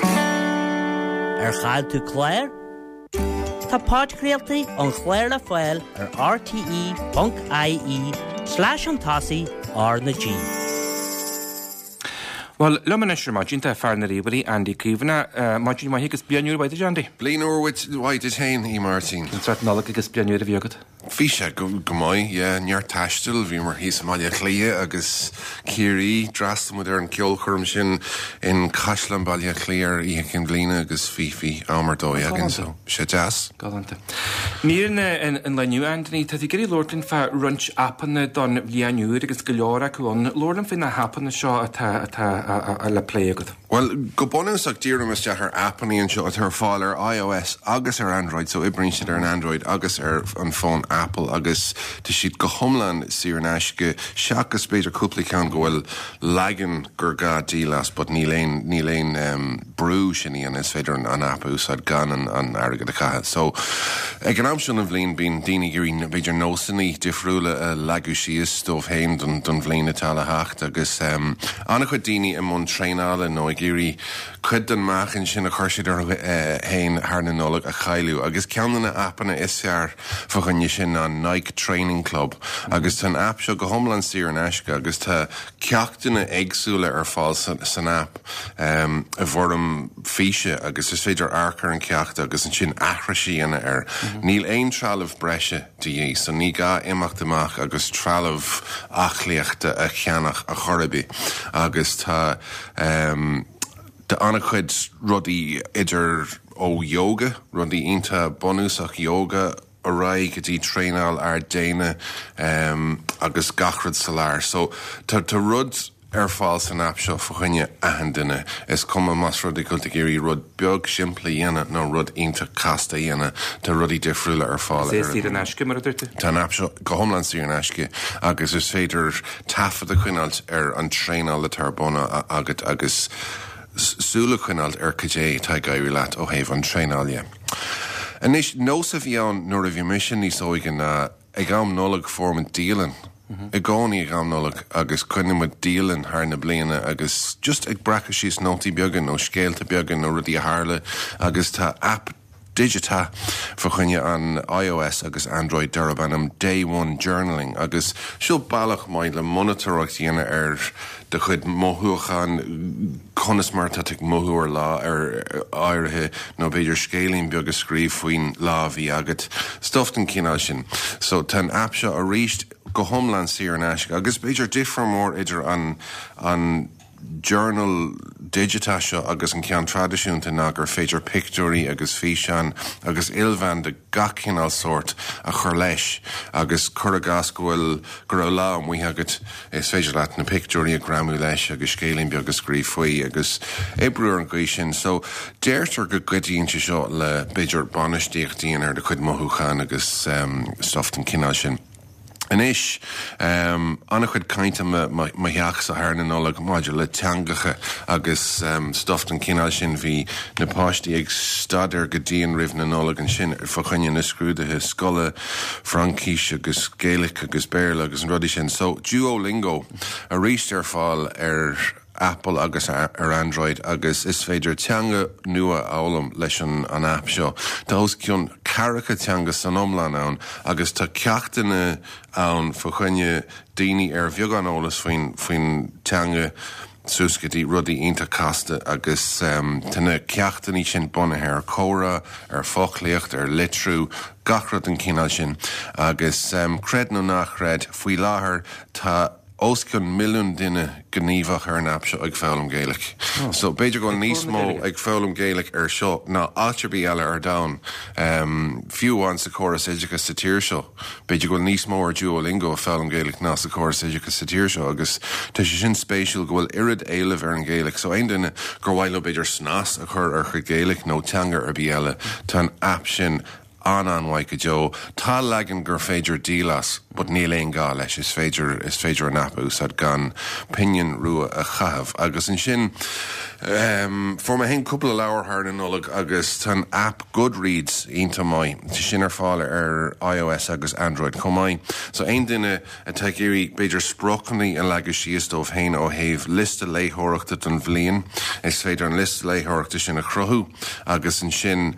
Ar chaill tú clár? Tá podchraoltaí an chláir le fáil ar rte ponc ie slash chun tosaigh R na G. Bhuel, liom anois ar maidin tá fear na ríomhairí, Andy Caomhánach. Maidin mhaith agus bliain úr mhaith duit, Andy. Bliain úr mhaith duit féin, a Mháirtín. Cén sórt Nollag agus bliain úr a bhí agat? Bhí sé go go maith, yeah, neart taistil, bhíomar thíos i mBaile Átha Cliath agus Ciarraí, d'fhreastail muid ar an gceolchoirm sin in Caisleán Bhaile Átha Cliath ar Oíche Chinn Bliana agus bhí bhí am ar dóigh againn, so bhí sé deas. Galánta. Mír an lae inniu, Anthony, tá tú ag iarraidh labhairt linn fá roinnt aipeanna don bhliain úr agus go leor acu ann. Labhair liom faoi na haipeanna seo atá atá le plé agat. Bhuel, go bunúsach dírim isteach ar aipeanna anseo atá ar fáil ar iOS agus ar Android, so oibríonn siad ar an Android agus ar an fón Apple agus tá siad go hiomlán saor in aisce seachas b'fhéidir cúpla ceann go bhfuil leagan gur gá díol as, but níl aon níl aon um, brú sin a dhéanamh, is féidir an, an app a úsáid gan an, an airgead a chaitheamh. So ag an am seo den bhliain bíonn daoine ag iarraidh b'fhéidir nósanna difriúla a leagadh síos dóibh féin don, don bhliain atá le theacht agus um, an-chuid daoine i mbun traenála nó ag ag iarraidh cuid den meáchan sin a chuir siad orthu féin thar na Nollag a chailleadh agus ceann de na aipeanna is fearr fá choinne sin ná Nike Training Club agus tá an aip seo go hiomlán saor in aisce agus tá ceachtanna éagsúla ar fáil san aip i bhfoirm físe agus is féidir amharc ar an ceacht agus ansin aithris a dhéanamh air. Níl aon trealamh breise de dhíth so ní gá imeacht amach agus trealamh aclaíochta a cheannach ar chor ar bith agus tá tá an-chuid rudaí idir ó yoga, rudaí iontach bunúsach yoga ar aghaidh go dtí traenáil ard-déine agus gach rud sa lár. So tá tá rud ar fáil san aip seo fá choinne achan duine. Is cuma más rud é go bhfuil tú ag iarraidh rud beag simplí a dhéanamh nó rud iontach casta a dhéanamh, tá rudaí difriúla ar fáil. Is é saor in aisce mar a dúirt tú? Tá an aip seo go hiomlán saor in aisce agus is féidir taifead a choinneáilt ar an traenáil atá ar bun agat agus súil a choinneáilt ar cad é atá ag éirí leat ó thaobh an traenáil dhe. Anois, nós a bhí ann nuair a bhí mise níos óige ná ag am Nollag fuair muid dialann. I gcónaí ag am Nollag agus coinnigh muid dialann thar na bliana agus just ag breacadh síos nótaí beaga nó scéalta beaga nó rudaí a tharla agus tá aip digiteach fá choinne an iOS agus Android darb ainm Day One Journaling agus seo bealach maith le monatóireacht a dhéanamh ar do chuid mothúchán, conas mar atá tú ag mothú ar lá ar áirithe nó b'fhéidir scéilín beag a scríobh faoin lá a bhí agat, stuff den chineál sin. So tá an aip seo arís go hiomlán saor in aisce agus b'fhéidir difear mór idir an an journal digiteach seo agus an ceann traidisiúnta ná gur féidir pictiúirí agus físeáin agus ilmheán de gach cineál sórt a chur leis agus cuir i gcás go bhfuil go raibh lá amuigh agat is féidir leat na pictiúirí a ghreamú leis agus scéilín beag a scríobh faoi agus oibriú ar an gcaoi sin. So deirtear go gcuidíonn sé seo le b'fhéidir bainistíocht a dhéanamh ar do chuid mothúchán agus um, stuff den chineál sin. Anois, um, an-chuid cainte mo theachsa thar na Nollag maidir le teangacha agus um, stuff den chineál sin bhí na páistí ag staidéar go dian roimh na Nollag ansin fá choinne na scrúduithe scoile Fraincis agus Gaeilge agus Béarla agus an rudaí sin. So Duolingo arís ar fáil ar Apple agus ar Android agus is féidir teanga nua a fhoghlaim leis an an app seo. Tá os cionn ceathracha teanga san iomlán ann agus tá ceachtanna ann fá choinne daoine ar bheagán eolas faoin faoin teanga suas go dtí rudaí iontach casta agus um, tá na ceachtanna sin bunaithe ar chomhrá, ar foclaíocht, ar litriú, gach rud den chineál sin agus um, creid nó ná creid faoi láthair tá os cionn milliún duine gníomhach ar an aip seo ag foghlaim Gaeilge. Oh. So b'fhéidir go níos mó ag foghlaim Gaeilge ar seo ná áit ar bith eile ar domhan. Um, fiú amháin sa chóras oideachais sa tír seo. B'fhéidir go níos mó ar Duolingo ag foghlaim Gaeilge ná sa chóras oideachais sa tír seo agus tá sé sin spéisiúil go bhfuil oiread éilimh ar an Ghaeilge, so aon duine gur mhaith leo b'fhéidir snas a chur ar chuid Gaeilge nó teanga ar bith eile tá an aip sin an-an-mhaith go deo. Tá leagan gur féidir díol as, but níl aon gá leis is féidir is féidir an aip a úsáid gan pingin rua a chaitheamh. Agus ansin um, fuair mé féin cúpla leabhar thar na Nollag agus tá an app Goodreads iontach maith. Tá sin ar fáil ar iOS agus Android chomh maith. So aon duine atá ag iarraidh b'fhéidir spriocanna a leagadh síos dóibh féin ó thaobh liosta léitheoireachta don bhliain, is féidir an liosta léitheoireachta sin a chruthú agus ansin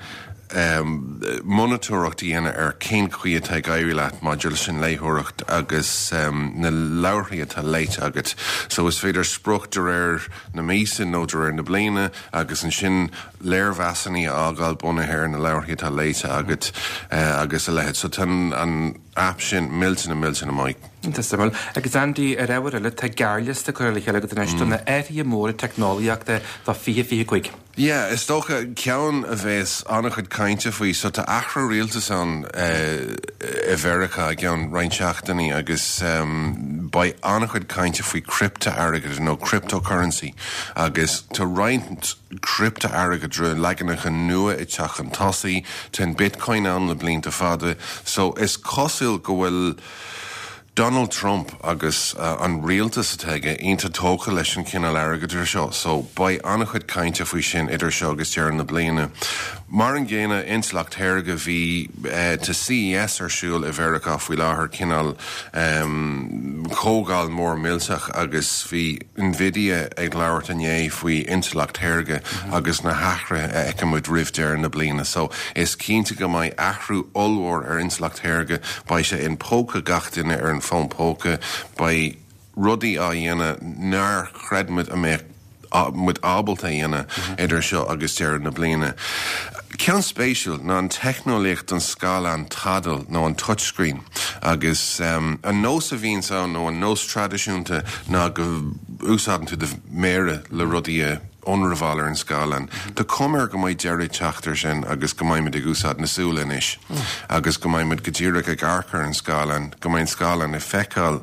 um, monatóireacht a dhéanamh ar cén chaoi atá ag éirí leat maidir leis an léitheoireacht agus um, na leabharthaí atá léite agat. So is féidir sprioc de réir na míosa nó de réir na bliana agus ansin léirmheasanna a fhágáil bunaithe ar na leabharthaí atá léite agat uh, agus a leithéid. So tá an app sin millteanach millteanach maith. Suimiúil. Agus Andy ar ábhar eile tá gearrliosta curtha le chéile agat anois do na hathruithe móra teicneolaíochta do fiche fiche cúig. Yeah, is dócha ceann a bheas an-chuid cainte faoi, so tá athrú rialtais ann uh, i Mheiriceá i gceann roinnt seachtainí agus um, beidh an-chuid cainte faoi criptea-airgead nó cryptocurrency agus tá roinnt criptea-airgeadra leaganacha nua ag teacht chun tosaigh, tá an Bitcoin ann le blianta fada, so is cosúil go bhfuil Donald Trump agus uh, an rialtas atá aige iontach tógtha leis an cineál airgeadra seo, so beidh an-chuid cainte faoi sin idir seo agus deireadh na bliana. Mar an gcéanna intleacht shaorga bhí uh, tá CES ar siúl i Mheiriceá faoi láthair cineál um, comhdháil mór millteach agus bhí Nvidia ag labhairt inné faoi intleacht shaorga mm -hmm. agus na hathruithe a fheicfimid roimh deireadh na bliana. So is cinnte go mbeidh athrú ollmhór ar intleacht shaorga beidh sé in póca gach duine ar an fón póca beidh rudaí á dhéanamh nár chreid muid a mbeadh muid ábalta dhéanamh idir seo agus deireadh na bliana. Ceann spéisiúil ná an teicneolaíocht an scáileán tadhaill nó an touchscreen agus um, an nós a bhíonn ann nó an nós traidisiúnta ná go úsáideann tú do mhéara le rudaí a ionramháil ar an scáileán. Tá cuma air go mbeidh deireadh ag teacht air sin agus go mbeidh ag úsáid na súl anois agus go mbeidh go díreach ag amharc ar an scáileán, go mbeidh an scáileán ag feiceáil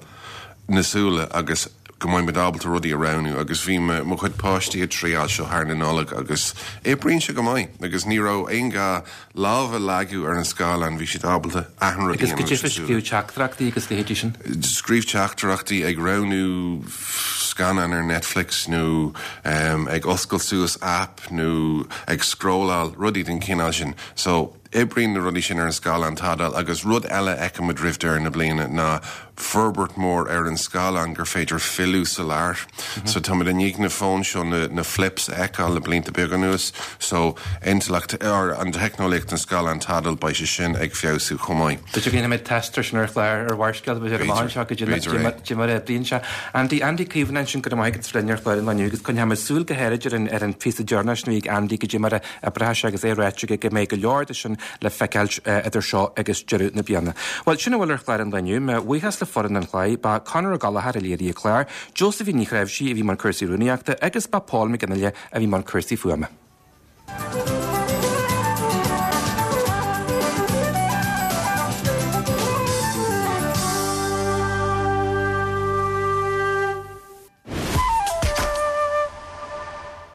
na súile agus go mbeidh ábalta rudaí a roghnú agus bhí mo chuid páistí ag triail seo thar na Nollag agus oibríonn sé go maith agus ní raibh aon gá lámh a leagadh ar an scáileán bhí siad ábalta achan rud Agus go difis scríobh teachtaireachtaí agus leithéidí sin. Scríobh teachtaireachtaí ag roghnú scannán ar Netflix nó um, ag oscailt suas app nó ag scrolláil rudaí den chineál sin. So oibríonn na rudaí sin ar an scáileán tadhaill agus rud eile fheicfimid roimh deireadh na bliana ná forbairt mór ar an scáileán gur féidir filleadh sa lár. Mm -hmm. So tá i ndiaidh na fóin seo na, na flips a fheiceáil le blianta beaga anuas, so intleacht ar an teicneolaíocht an scáileán tadhaill beidh sé sin ag feabhsú chomh maith. B'fhéidir go ndéanfaimid test air sin ar chlár ar Bharrscéalta b'fhéidir go mar a bhíonn sé. Andy Andy Caomhna sin go maith go linn ar chlár an lae agus coinneoimid súil go háirid ar an ar an phíosa deireanach sin a bhí ag Andy go dtí mar a bhraith sé agus é ráite go mbeidh go leor de sin le feiceáil idir seo agus deireadh na bliana. Well sin a bhfuil ar chlár an lae inniu, mo bhuíochas le foireann an chláir, ba Conor Gallagher a léirigh an clár, Josephine Ní Chreimhsí a bhí mar cúrsaí rúnaíochta agus ba Paul McGinley a bhí mar cúrsaí fuaime.